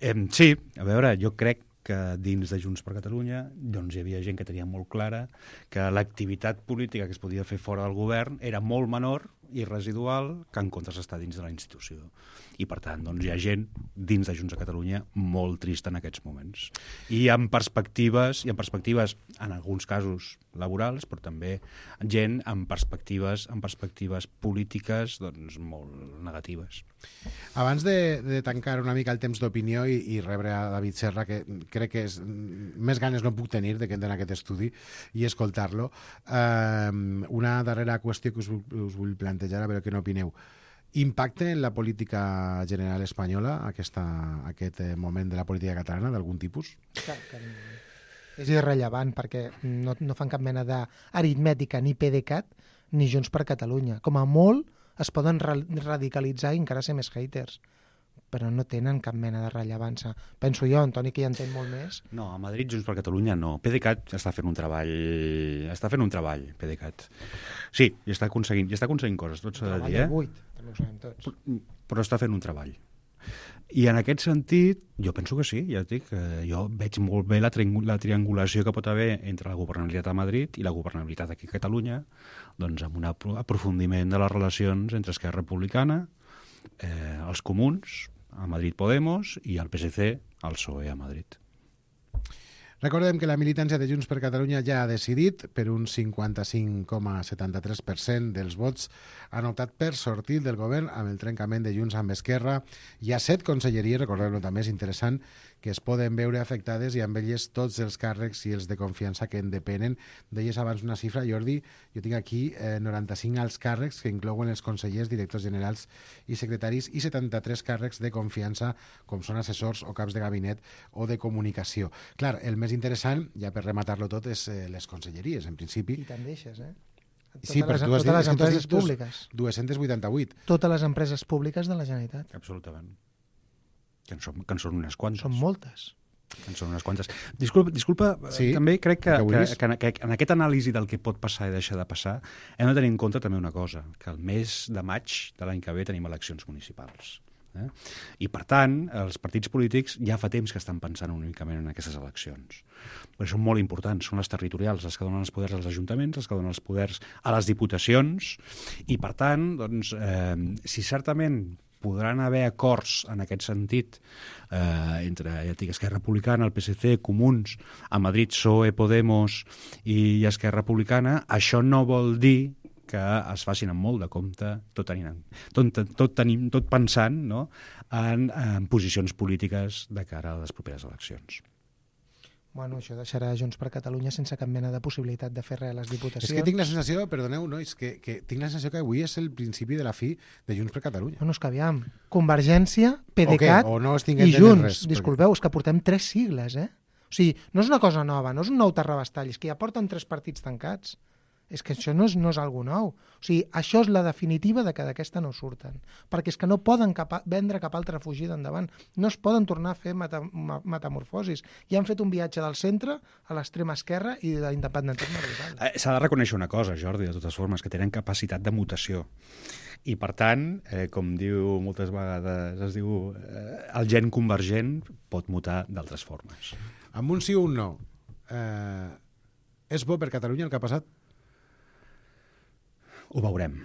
Eh, sí, a veure, jo crec que dins de Junts per Catalunya doncs, hi havia gent que tenia molt clara que l'activitat política que es podia fer fora del govern era molt menor i residual que en comptes està dins de la institució. I, per tant, doncs, hi ha gent dins de Junts a Catalunya molt trista en aquests moments. I amb perspectives, i amb perspectives en alguns casos laborals, però també gent amb perspectives, amb perspectives polítiques doncs, molt negatives. Abans de, de tancar una mica el temps d'opinió i, i rebre a David Serra, que crec que és, més ganes no puc tenir de que entren aquest estudi i escoltar-lo, eh, una darrera qüestió que us, us vull plantejar, a veure què n'opineu. Impacte en la política general espanyola aquesta, aquest moment de la política catalana d'algun tipus? Clar, que és irrellevant perquè no, no fan cap mena d'aritmètica ni PDeCAT ni Junts per Catalunya. Com a molt es poden ra radicalitzar i encara ser més haters, però no tenen cap mena de rellevància. Penso jo, Antoni, que hi entén molt més. No, a Madrid, Junts per Catalunya, no. PDeCAT està fent un treball... Està fent un treball, PDeCAT. Sí, i està aconseguint, i està aconseguint coses, tot s'ha de dir, eh? buit, també ho sabem tots. Però, però està fent un treball. I en aquest sentit, jo penso que sí, ja et dic, eh, jo veig molt bé la, tri la triangulació que pot haver entre la governabilitat a Madrid i la governabilitat aquí a Catalunya, doncs amb un aprofundiment de les relacions entre Esquerra Republicana, eh, els Comuns, a Madrid Podemos, i el P S C, al P S O E a Madrid. Recordem que la militància de Junts per Catalunya ja ha decidit, per un cinquanta-cinc coma setanta-tres per cent dels vots han optat per sortir del govern amb el trencament de Junts amb Esquerra. Hi ha set conselleries, recordem-ho també, és interessant, que es poden veure afectades i amb elles tots els càrrecs i els de confiança que en depenen. Deies abans una xifra, Jordi, jo tinc aquí eh, noranta-cinc alts càrrecs que inclouen els consellers, directors generals i secretaris i setanta-tres càrrecs de confiança com són assessors o caps de gabinet o de comunicació. Clar, el més interessant, ja per rematar-lo tot, és eh, les conselleries, en principi. I te'n deixes, eh? Sí, totes però les, tu has totes dit, les empreses tu has dit públiques. dos-cents vuitanta-vuit. Totes les empreses públiques de la Generalitat. Absolutament. Que en són, que en són unes quantes. Són moltes. Que en són unes quantes. Disculpa, disculpa sí, també crec que, que, que, que, que en aquest anàlisi del que pot passar i deixar de passar hem de tenir en compte també una cosa, que el mes de maig de l'any que ve tenim eleccions municipals. Eh? I, per tant, els partits polítics ja fa temps que estan pensant únicament en aquestes eleccions. Perquè són molt importants, són les territorials, les que donen els poders als ajuntaments, les que donen els poders a les diputacions, i, per tant, doncs, eh, si certament podran haver acords en aquest sentit eh, entre ja dic, Esquerra Republicana, el P S C, Comuns, a Madrid P S O E, Podemos i Esquerra Republicana, això no vol dir que es facin amb molt de compte, tot, tenint, tot, tot, tenim, tot pensant no, en, en posicions polítiques de cara a les properes eleccions. Bueno, això deixarà Junts per Catalunya sense cap mena de possibilitat de fer res a les diputacions. És que tinc la sensació, perdoneu, nois, que, que tinc la sensació que avui és el principi de la fi de Junts per Catalunya. Bueno, és que aviam, Convergència, PDeCAT okay, no i Junts. Res, Disculpeu, perquè... és que portem tres sigles, eh? O sigui, no és una cosa nova, no és un nou terrabastall, és que ja porten tres partits tancats. És que això no és, no és algo nou. O sigui, això és la definitiva de que d'aquesta no surten. Perquè és que no poden cap, vendre cap altra fugida endavant. No es poden tornar a fer meta, metamorfosis. Ja han fet un viatge del centre a l'extrema esquerra i de l'independentisme brutal. Eh, S'ha de reconèixer una cosa, Jordi, de totes formes, que tenen capacitat de mutació. I, per tant, eh, com diu moltes vegades, es diu, eh, el gen convergent pot mutar d'altres formes. Amb un sí o un no, eh, és bo per Catalunya el que ha passat? Ho veurem.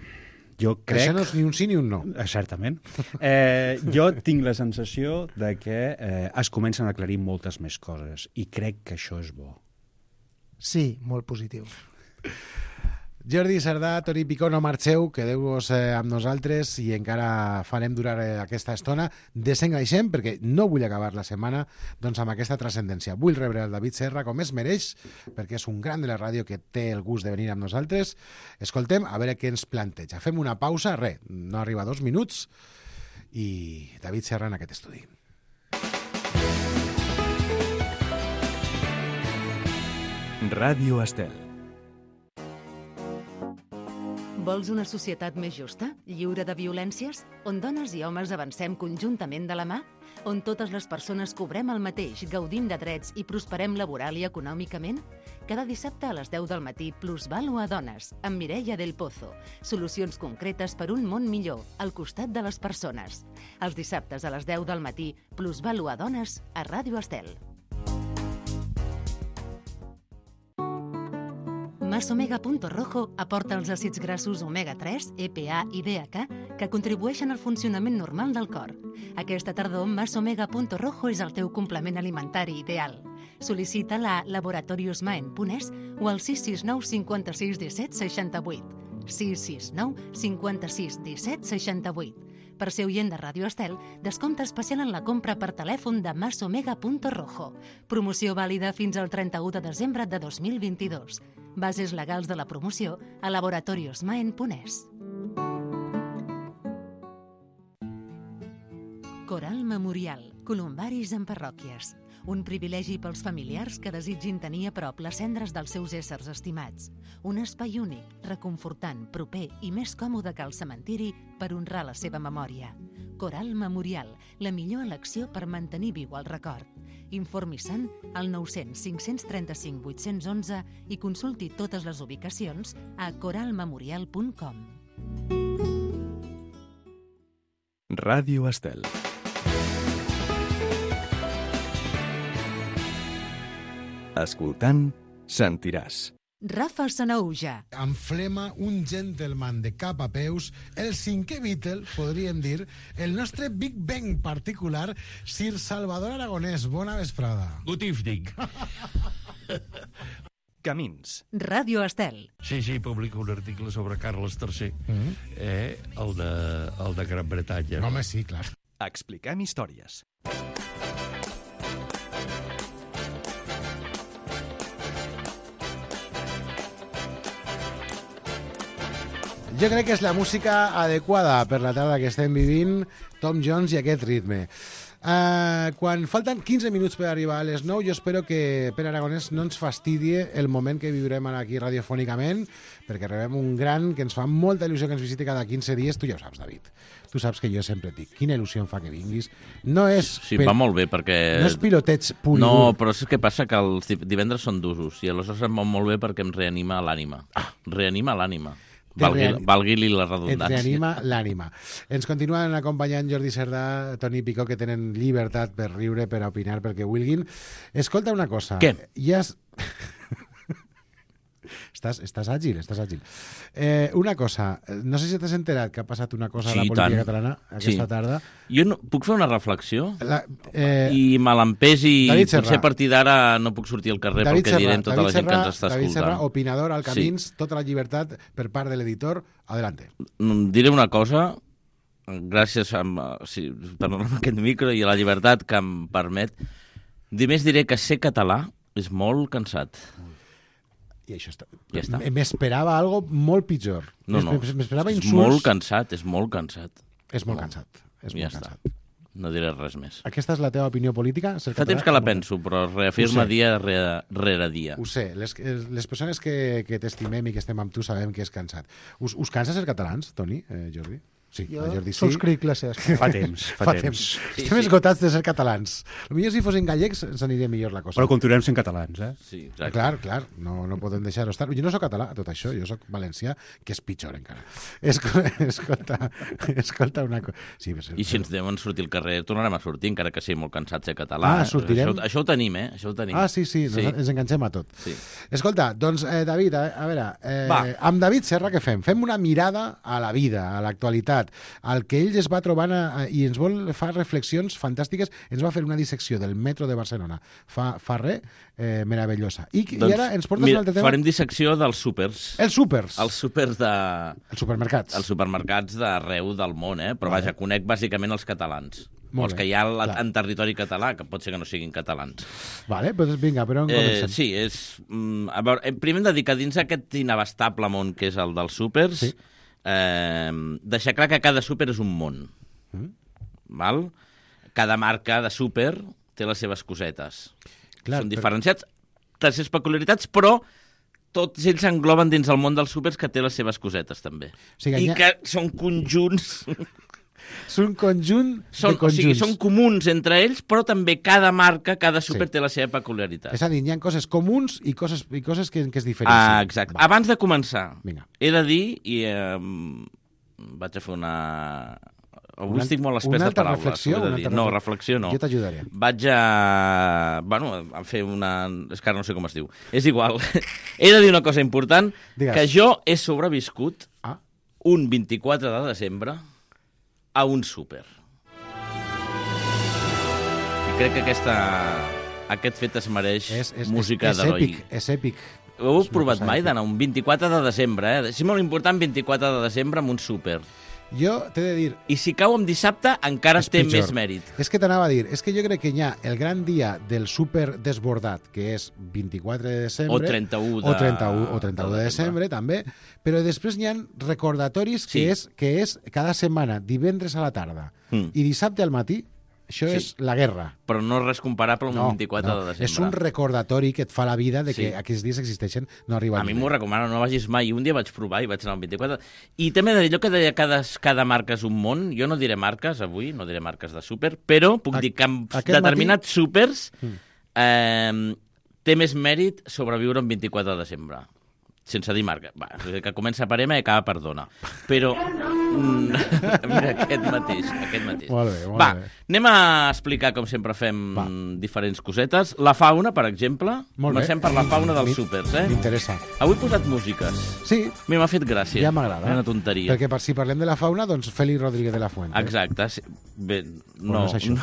Jo crec... Això no és ni un sí ni un no. Eh, certament. Eh, jo tinc la sensació de que eh, es comencen a aclarir moltes més coses i crec que això és bo. Sí, molt positiu. Jordi Cerdà, Toni Picó, no marxeu, quedeu-vos eh, amb nosaltres i encara farem durar eh, aquesta estona. Desengaixem, perquè no vull acabar la setmana doncs, amb aquesta transcendència. Vull rebre el David Serra com es mereix, perquè és un gran de la ràdio que té el gust de venir amb nosaltres. Escoltem, a veure què ens planteja. Fem una pausa, res, no arriba a dos minuts, i David Serra en aquest estudi. Ràdio Estel. Vols una societat més justa, lliure de violències, on dones i homes avancem conjuntament de la mà? On totes les persones cobrem el mateix, gaudim de drets i prosperem laboral i econòmicament? Cada dissabte a les deu del matí, Plusvalua Dones, amb Mireia del Pozo. Solucions concretes per un món millor, al costat de les persones. Els dissabtes a les deu del matí, Plusvalua Dones, a Ràdio Estel. Masomega Punto Rojo aporta els àcids grassos omega tres, E P A i D H que contribueixen al funcionament normal del cor. Aquesta tardor, Masomega Punto Rojo és el teu complement alimentari ideal. Sol·licita-la a laboratoriosmaen.es o al sis sis nou cinquanta-sis disset seixanta-vuit. sis sis nou cinquanta-sis disset seixanta-vuit. Per ser oient de Ràdio Estel, descompte especial en la compra per telèfon de Masomega Punto Rojo. Promoció vàlida fins al trenta-u de desembre de dos mil vint-i-dos. Bases legals de la promoció a laboratoriosmaen.es. Coral Memorial, columbaris en parròquies. Un privilegi pels familiars que desitgin tenir a prop les cendres dels seus éssers estimats. Un espai únic, reconfortant, proper i més còmode que el cementiri per honrar la seva memòria. Coral Memorial, la millor elecció per mantenir viu el record. Informi-se'n al nou cents cinc cents trenta-cinc vuit-cents onze i consulti totes les ubicacions a coral memorial punt com. Ràdio Estel. Escoltant, sentiràs. Rafa Sanauja. Amb flema, un gentleman de cap a peus, el cinquè Beatle, podríem dir, el nostre Big Bang particular, Sir Salvador Aragonès. Bona vesprada. Good evening. Camins. Ràdio Estel. Sí, sí, publica un article sobre Carles tercer, Mm. eh, el, de, el de Gran Bretanya. No, home, sí, clar. Expliquem històries. Jo crec que és la música adequada per la tarda que estem vivint, Tom Jones i aquest ritme. Uh, quan falten quinze minuts per arribar a les nou, jo espero que Pere Aragonès no ens fastidie el moment que viurem aquí radiofònicament, perquè rebem un gran que ens fa molta il·lusió que ens visiti cada quinze dies. Tu ja ho saps, David. Tu saps que jo sempre et dic, quina il·lusió em fa que vinguis. No és... Sí, va molt bé, perquè... No és piloteig pur i No, dur. però és que passa que els divendres són d'usos, i aleshores em va molt bé perquè em reanima l'ànima. Ah, reanima l'ànima. Valgui, reani- valgui-li la Et redundància. reanima l'ànima. Ens continuen acompanyant Jordi Cerdà, Toni Picó, que tenen llibertat per riure, per opinar, perquè vulguin. Escolta una cosa. Què? Ja has... estàs, estàs àgil, estàs àgil. Eh, una cosa, no sé si t'has enterat que ha passat una cosa Sí, a la política tant. catalana aquesta Sí. tarda. Jo no, puc fer una reflexió? La, eh, I me l'empesi, David Serra. potser a partir d'ara no puc sortir al carrer David pel que Serra, direm tota David la gent que Serra, ens està David escoltant. Serra, opinador al Sí. Camins, tota la llibertat per part de l'editor. Adelante. Mm, Diré una cosa, gràcies a, sí, per aquest micro i a la llibertat que em permet. Només diré que ser català és molt cansat. I això està... Ja està. M'esperava algo molt pitjor. No, no, M'esperava és insults. molt cansat, és molt cansat. És molt cansat. És Ja molt està. cansat. No diré res més. Aquesta és la teva opinió política? Ser Fa català? temps que la penso, però es reafirma Ho sé. dia rere, rere dia. Ho sé, les, les persones que, que t'estimem i que estem amb tu sabem que és cansat. Us, us cansa ser catalans, Toni, eh, Jordi? Sí, Jo la Jordi sí. subscric les seves Fa temps, fa, Fa temps. temps. Sí, Estem sí. esgotats de ser catalans. Potser si fossin gallecs ens aniria millor la cosa. Però continuem sent catalans, eh? Sí, Eh, exacte. Clar, clar, no, no podem deixar-ho estar. Jo no sóc català, tot això, jo sóc valencià, que és pitjor encara. Escolta, escolta, escolta una cosa. Sí, però- I si ens deuen sortir al carrer, tornarem a sortir, encara que sigui molt cansat ser català. Ah, eh? sortirem? Això, això ho tenim, eh? Això ho tenim. Ah, sí, sí, sí. Ens, ens enganxem a tot. Sí. Escolta, doncs, eh, David, a, a veure, eh, Va. amb David Serra què fem? Fem una mirada a la vida, a l'actualitat, al que ell es va trobant a, i ens vol fer reflexions fantàstiques. Ens va fer una dissecció del metro de Barcelona fa, fa res, eh, meravellosa. I, Doncs, I ara ens portes mira, un altre tema? farem dissecció dels súpers. Els súpers. Els súpers de... Els supermercats. Els supermercats d'arreu del món, eh? Però Vale. vaja, conec bàsicament els catalans. Molt els bé, que hi ha al- clar. en territori català, que pot ser que no siguin catalans. Vale, doncs vinga, però on Eh, comencem? sí, és... mm, A veure, eh, primer hem de dir que dins aquest inabastable món que és el dels súpers, Sí. eh, deixar clar que cada súper és un món. Mm. Val? Cada marca de súper té les seves cosetes. Clar, Són però- diferenciats, les seves peculiaritats, però tots ells engloben dins el món dels súpers que té les seves cosetes, també. sigui, I hi ha- que són conjunts... És un conjunt Són, de o conjunts. sigui, són comuns entre ells, però també cada marca, cada súper Sí. té la seva peculiaritat. És a dir, hi ha coses comuns i coses, i coses que, que es diferencien. Ah, exacte. Va. Abans de començar, Vinga. he de dir, i eh, vaig a fer una... Avui una, estic molt espès de paraules. Reflexió, una altra reflexió? No, reflexió no. Jo t'ajudaré. Vaig a... Bueno, a fer una... És que ara no sé com es diu. És igual. He de dir una cosa important, Digues. que jo he sobreviscut ah. un vint-i-quatre de desembre a un súper. I crec que aquesta... aquest fet es mereix és, és, música és, és d'heroi. èpic, és èpic. Ho heu provat mai d'anar un vint-i-quatre de desembre, eh? És molt important vint-i-quatre de desembre amb un súper. Jo t'he de dir... I si cau en dissabte, encara té pitjor. més mèrit. És que t'anava a dir, és que jo crec que hi ha el gran dia del súper desbordat, que és vint-i-quatre de desembre... O trenta-u de... O trenta-u, o trenta-u de desembre, també. Però després hi ha recordatoris Sí. que, és, que és cada setmana, divendres a la tarda Mm. i dissabte al matí. Això Sí. és la guerra. Però no és res comparable amb No, un vint-i-quatre no. de desembre. És un recordatori que et fa la vida de que Sí. aquests dies existeixen, no arriba A mi m'ho recomano, no vagis mai. Un dia vaig provar i vaig anar al vint-i-quatre. I també he de dir allò que deia cada, cada marca és un món. Jo no diré marques avui, no diré marques de súper, però puc A, dir que en matí... determinats súpers Mm. eh, té més mèrit sobreviure un vint-i-quatre de desembre. Sense dir marca. Va, que comença per M i acaba per dona. Però... Mm, mira, aquest mateix. Aquest mateix. Molt bé, molt Va, bé. anem a explicar com sempre fem Va. diferents cosetes. La fauna, per exemple. Molt bé. Comencem per la fauna dels Mi- súpers, eh? M'interessa. Avui he posat músiques. Sí. M'ha fet gràcia. Ja m'agrada. Una tonteria. Perquè per, si parlem de la fauna, doncs Félix Rodríguez de la Fuente. Exacte. Sí. Bé, Però no. no és això.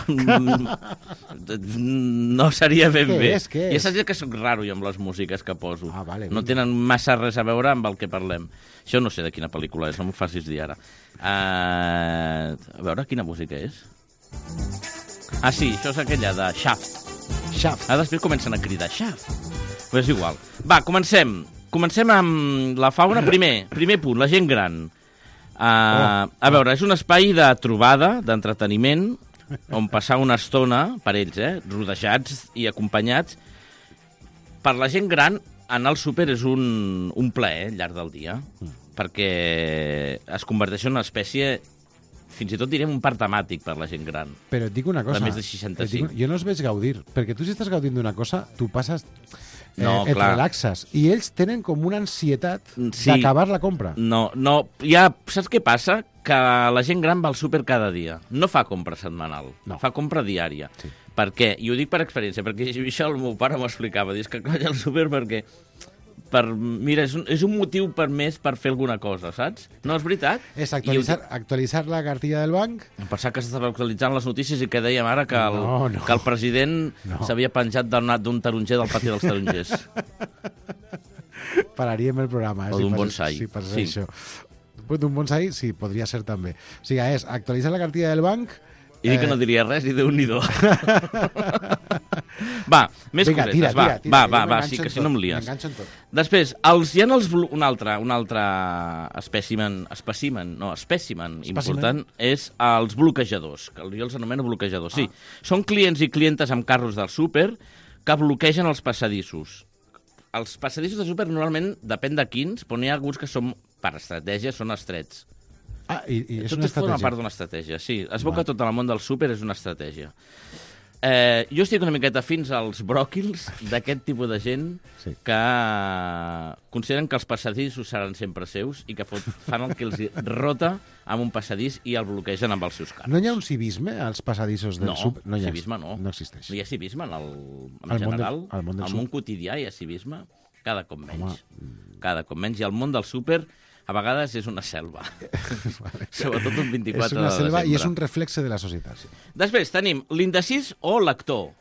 No seria ben Què bé. és, què Ja és? saps que sóc raro jo amb les músiques que poso. Ah, vale, no vinga. tenen massa res a veure amb el que parlem. Això no sé de quina pel·lícula és, no m'ho facis dir ara. Uh, a veure, quina música és? Ah, sí, això és aquella de Shaft. Shaft. Ara després comencen a cridar Shaft. Però és igual. Va, comencem. Comencem amb la fauna. Primer, primer punt, la gent gran. Uh, Oh. a veure, és un espai de trobada, d'entreteniment, on passar una estona, per ells, eh, rodejats i acompanyats. Per la gent gran, anar al súper és un, un plaer al llarg del dia, mm. perquè es converteix en una espècie, fins i tot direm un parc temàtic per la gent gran. Però et dic una cosa. De més de et seixanta-cinc. dic, jo no els veig gaudir, perquè tu si estàs gaudint d'una cosa, tu passes... Eh, No, et clar. relaxes. I ells tenen com una ansietat Sí. d'acabar la compra. No, no, ja, saps què passa? Que la gent gran va al súper cada dia. No fa compra setmanal, No. fa compra diària. Sí. Per què? I ho dic per experiència, perquè això el meu pare m'ho explicava. Dius que vaig al súper perquè... Per, mira, és un, és un motiu per més per fer alguna cosa, saps? No és veritat? És I ho actualitzar, dic- actualitzar la cartilla del banc. Em pensava que s'estava actualitzant les notícies i que dèiem ara que el, No, no. que el president No. s'havia penjat d'un d'un taronger del pati dels tarongers. Pararíem el programa. Eh, O si d'un passés- bonsai. Si passés Sí. això. Pues d'un bonsai, sí, podria ser també. O sigui, és actualitzar la cartilla del banc... I dic que no diria res i Déu-n'hi-do. Va, més Vinga, cosetes, tira, va, tira, tira, va, jo va, va, m'enganxo sí, en que si tot, no em lies. m'enganxo en tot. Després, els, hi ha els, blo- un altre, un altre espècimen, espècimen, no, espècimen important, és els bloquejadors, que jo els anomeno bloquejadors. Sí, són clients i clientes amb carros del súper que bloquegen els passadissos. Els passadissos de súper normalment depèn de quins, però n'hi ha alguns que són, per estratègia, són estrets. Ah, i, i és Tot una és forma estratègia. part d'una estratègia, sí. Es veu Va. que tot el món del súper és una estratègia. Eh, jo estic una miqueta fins als bròquils d'aquest tipus de gent Sí. que consideren que els passadissos seran sempre seus i que fot, fan el que els hi rota amb un passadís i el bloquegen amb els seus carros. No hi ha un civisme als passadissos del No, súper? No, hi ha. civisme no. No existeix. No hi ha civisme en, el, en Al món general. del- al món del al súper. món quotidià hi ha civisme, cada cop menys. Home. Cada cop menys. I el món del súper a vegades és una selva. Sobretot un vint-i-quatre És una de selva desembre. i és un reflexe de la societat. Sí. Després tenim l'indecís o lector.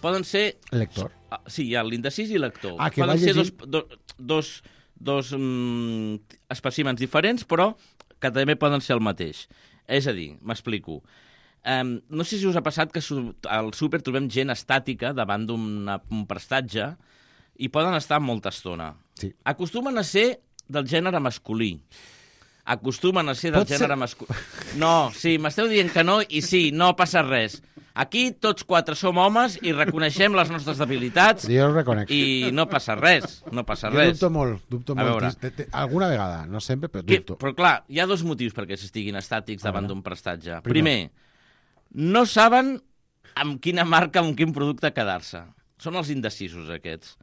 Poden ser... Lector. Ah, sí, hi ha l'indecís i lector. Ah, que Poden va ser llegint- dos, dos, dos, dos mm, espècimens diferents, però que també poden ser el mateix. És a dir, m'explico. Um, no sé si us ha passat que su- al súper trobem gent estàtica davant d'un prestatge i poden estar molta estona. Sí. Acostumen a ser del gènere masculí. Acostumen a ser del Pot ser- gènere masculí. No, sí, m'esteu dient que no i sí, no passa res. Aquí tots quatre som homes i reconeixem les nostres debilitats Jo ho reconec. i no passa res, no passa Jo res. dubto molt, dubto A molt. veure. Te- te- Alguna vegada, no sempre, però Que, dubto. però clar, hi ha dos motius perquè s'estiguin estàtics davant d'un prestatge. Primer. Primer, no saben amb quina marca, amb quin producte quedar-se. Són els indecisos, aquests.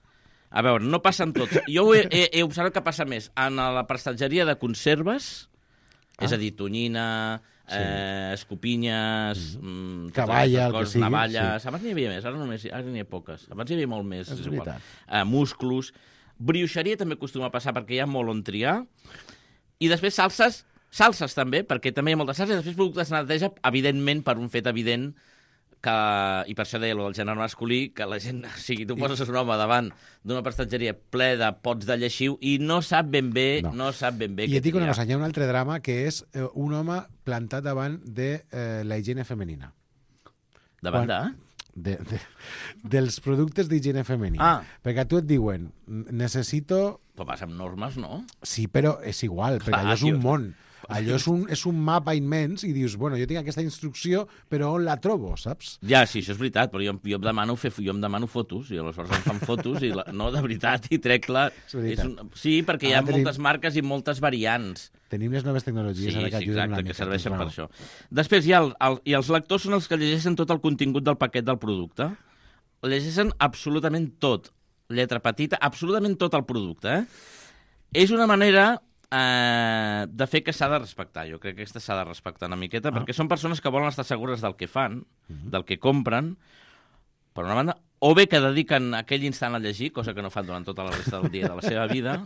A veure, no passen tots. Jo ho he, he, he observat que passa més en la prestatgeria de conserves, ah. és a dir, tonyina, sí. eh, escopinyes, mm. cavalla, el que sigui. Navalles... Sí. Abans n'hi havia més, ara només ara n'hi ha poques. Abans hi havia molt més, és, és igual. Uh, musclos. Brioixeria també acostuma a passar perquè hi ha molt on triar. I després salses, salses també, perquè també hi ha moltes salses. I després productes de neteja, evidentment, per un fet evident, que, i per això deia allò del gènere masculí, que la gent, o sigui, tu poses un home davant d'una prestatgeria ple de pots de lleixiu i no sap ben bé, no, no sap ben bé I et dic una triar. cosa, hi ha un altre drama que és eh, un home plantat davant de eh, la higiene femenina. Davant de? De, de, dels productes d'higiene femenina. Ah. Perquè a tu et diuen, necessito... Però vas amb normes, no? Sí, però és igual, perquè Clar, allò és un tio. món. Allò és un, és un mapa immens i dius, bueno, jo tinc aquesta instrucció, però on la trobo, saps? Ja, sí, això és veritat, però jo, jo, em, demano fer, jo em demano fotos, i aleshores em fan fotos, i la, no, de veritat, i trec-la... És un, sí, perquè hi ha Ara tenim, moltes marques i moltes variants. Tenim les noves tecnologies sí, ara que sí, ajuden exacte, una mica. que serveixen doncs, per això. Després hi ha el, el, i els lectors són els que llegeixen tot el contingut del paquet del producte. Llegeixen absolutament tot. Lletra petita, absolutament tot el producte. Eh? És una manera... Uh, de fer que s'ha de respectar. Jo crec que aquesta s'ha de respectar una miqueta, ah. perquè són persones que volen estar segures del que fan, uh-huh. del que compren, per una banda, o bé que dediquen aquell instant a llegir, cosa que no fan durant tota la resta del dia de la seva vida,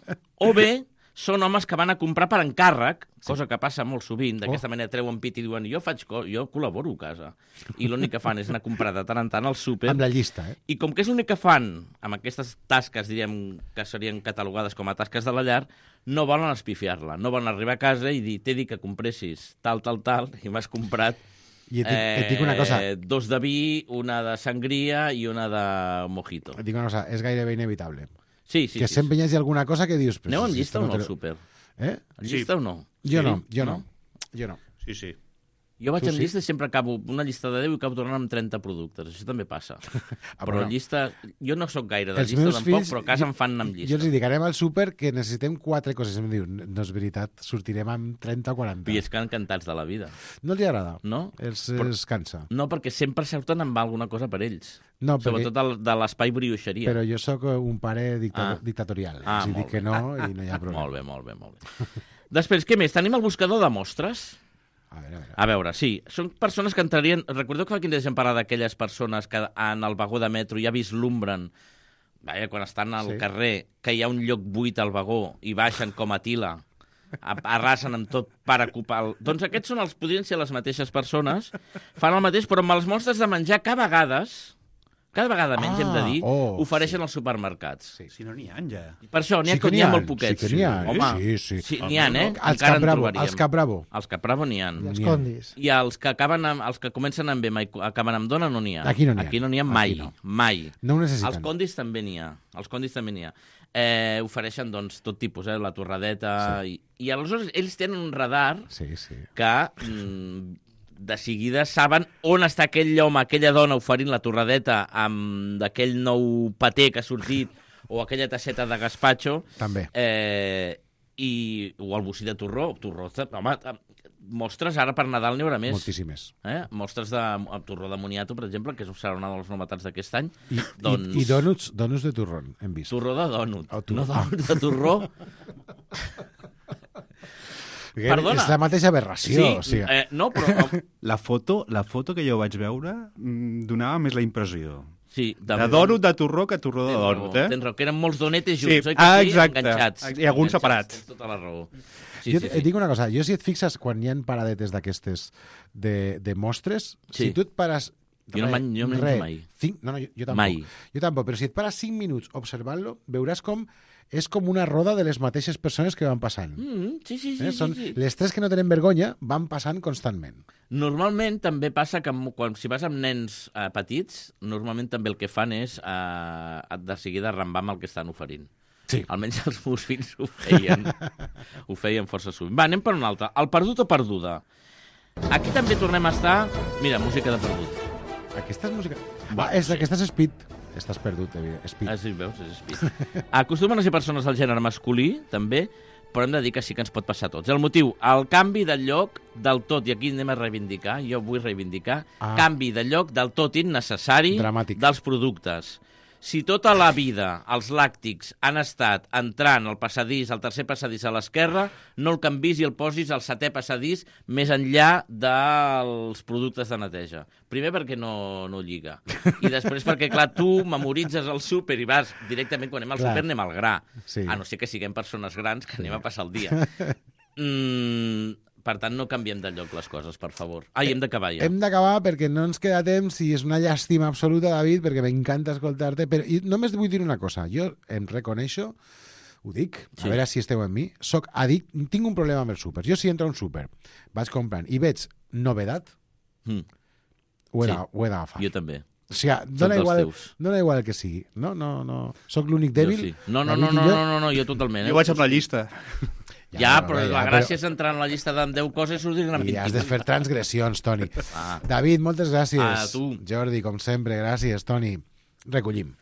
o bé són homes que van a comprar per encàrrec, sí. cosa que passa molt sovint, d'aquesta oh. manera treuen pit i diuen jo faig co jo col·laboro a casa. I l'únic que fan és anar a comprar de tant en tant al súper. Amb la llista, eh? I com que és l'únic que fan amb aquestes tasques, diríem, que serien catalogades com a tasques de la llar, no volen espifiar-la, no volen arribar a casa i dir, t'he dit que compressis tal, tal, tal, i m'has comprat I et dic, eh, et dic una cosa. dos de vi, una de sangria i una de mojito. Et dic una cosa, és gairebé inevitable. Sí, sí, que sí, sempre hi hagi alguna cosa que dius... Aneu amb llista o no te... al súper? Eh? En llista sí. o no? Jo sí? no, jo no. no. Jo no. Sí, sí. Jo vaig Tu amb sí? llista i sempre acabo una llista de deu i acabo tornant amb trenta productes. Això també passa. Ah, però bueno. llista... Jo no sóc gaire de Els llista meus tampoc, fills, però a casa jo, em fan amb llista. Jo els dic, anem al súper que necessitem quatre coses. Em diu, no és veritat, sortirem amb trenta o quaranta. I és que encantats de la vida. No els hi agrada? No? Els, però, els cansa? No, perquè sempre surten amb alguna cosa per ells. No, perquè... Sobretot el, de l'espai brioixeria. Però jo sóc un pare dicta... ah. dictatorial. Ah, els dic que no i no hi ha problema. Molt bé, molt bé, molt bé. Després, què més? Tenim el buscador de mostres. A veure, a veure. A veure, sí. Són persones que entrarien... Recordeu que fa quin dia hem parlat d'aquelles persones que en el vagó de metro ja vislumbren, vaja, quan estan al sí. carrer, que hi ha un lloc buit al vagó i baixen com a tila, arrasen amb tot per ocupar... El... Doncs aquests són els, podrien ser les mateixes persones, fan el mateix, però amb els mostres de menjar que a vegades... Cada vegada menys, ah, hem de dir, oh, ofereixen sí. als supermercats. Sí, si no n'hi ha, ja. Per això, n'hi ha, sí n'hi ha, ha molt poquets. Sí que n'hi ha, Home, sí, sí. sí n'hi ha, eh? Els Capravo, els Capravo. Els Capravo n'hi ha. I els condis. I els que, acaben amb, els que comencen amb M i acaben amb dona no n'hi ha. Aquí no n'hi ha. Aquí no n'hi ha mai, no. mai. No ho necessiten. Els condis també n'hi ha. Els condis també n'hi ha. Eh, ofereixen, doncs, tot tipus, eh? La torradeta... Sí. I, I aleshores ells tenen un radar sí, sí. que... Mm, de seguida saben on està aquell home, aquella dona oferint la torradeta amb d'aquell nou paté que ha sortit o aquella tasseta de gazpacho. També. Eh, i, o el bocí de torró. torró home, mostres ara per Nadal n'hi haurà més. Moltíssimes. Eh? Mostres de torró de moniato, per exemple, que serà una de les novetats d'aquest any. I, doncs... i, i dònuts, dònuts de torrón, hem vist. Torró de dònut. Oh, torró. No dònuts de torró. Perdona. És la mateixa aberració. Sí, o sigui. eh, no, però... La foto, la foto que jo vaig veure mm, donava més la impressió. Sí, de, de dònut de torró que torró de dònut, eh? Tens raó, que eren molts donetes junts, sí. oi que ah, sí? exacte. Enganxats. I alguns separats. Tens tota la raó. Sí, jo sí, et sí. dic una cosa, jo si et fixes quan hi ha paradetes d'aquestes de, de mostres, sí. si tu et pares... Jo no menjo, jo menjo re, mai. Cinc, no, no, jo, jo tampoc. Mai. Jo tampoc, però si et pares cinc minuts observant-lo, veuràs com és com una roda de les mateixes persones que van passant. Mm, sí, sí, sí, eh? Són sí, sí. Les tres que no tenen vergonya van passant constantment. Normalment també passa que quan, si vas amb nens eh, petits, normalment també el que fan és eh, de seguida arrambar amb el que estan oferint. Sí. Almenys els meus fills ho feien. Ho feien força sovint. Va, anem per una altra. El perdut o perduda. Aquí també tornem a estar... Mira, música de perdut. Aquesta és música... Va, és, sí. Aquesta és Speed. Estàs perdut, Speed. Ah, sí, veus? És Speed. Acostumen a ser persones del gènere masculí, també, però hem de dir que sí que ens pot passar a tots. El motiu, el canvi de lloc del tot, i aquí anem a reivindicar, jo vull reivindicar, ah. canvi de lloc del tot innecessari Dramàtic. dels productes. Si tota la vida els làctics han estat entrant al passadís, al tercer passadís a l'esquerra, no el canvis i el posis al setè passadís més enllà dels productes de neteja. Primer perquè no, no lliga. I després perquè, clar, tu memoritzes el súper i vas directament, quan anem al súper anem al gra. Sí. A no ser que siguem persones grans que anem a passar el dia. Mm, per tant, no canviem de lloc les coses, per favor. Ai, hem d'acabar ja. Hem d'acabar perquè no ens queda temps i és una llàstima absoluta, David, perquè m'encanta escoltar-te. Però i només vull dir una cosa. Jo em reconeixo, ho dic, a Sí. veure si esteu amb mi, soc addict, tinc un problema amb els súpers. Jo si entro a un súper, vaig comprant i veig novedat, Mm. ho he Sí. de- ho he d'agafar. Jo també. O sigui, dona dels igual, teus. dona igual el que sigui. No, no, no. Soc l'únic dèbil. Jo sí. No, no, David no, i no, jo. no, no, no, jo totalment. Eh? Jo vaig amb la llista. Ja, però bé, la ja, gràcia és entrar en la llista de deu coses i sortir amb I has de fer transgressions, Toni. Ah. David, moltes gràcies. A tu. Jordi, com sempre, gràcies, Toni. Recollim.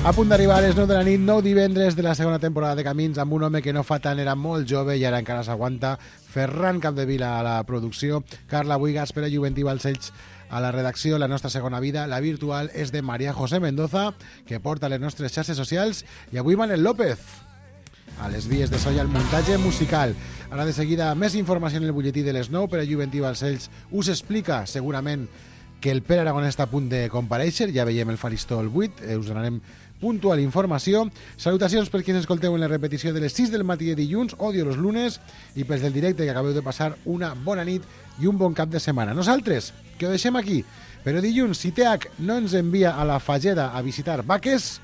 A punt d'arribar a les nou de la nit, nou divendres de la segona temporada de Camins, amb un home que no fa tant, era molt jove i ara encara s'aguanta. Ferran Capdevila a la producció, Carla Buigas, Pere Juventí Balcells a la redacció. La nostra segona vida, la virtual, és de Maria José Mendoza, que porta les nostres xarxes socials, i avui Manel López a les vies de so i al muntatge musical. Ara de seguida més informació en el butlletí de les nou. Pere Juventí Balcells us explica segurament que el Pere Aragonès està a punt de comparèixer, ja veiem el faristol buit, eh, us donarem puntual informació. Salutacions per qui ens escolteu en la repetició de les sis del matí de dilluns, odio los lunes, i pels del directe, que acabeu de passar una bona nit i un bon cap de setmana. Nosaltres, que ho deixem aquí, però dilluns, si T H no ens envia a la Fageda a visitar vaques,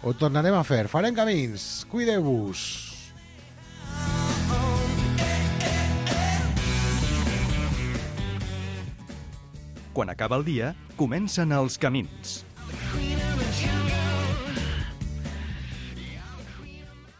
ho tornarem a fer. Farem camins. Cuideu-vos. Quan acaba el dia, comencen els camins.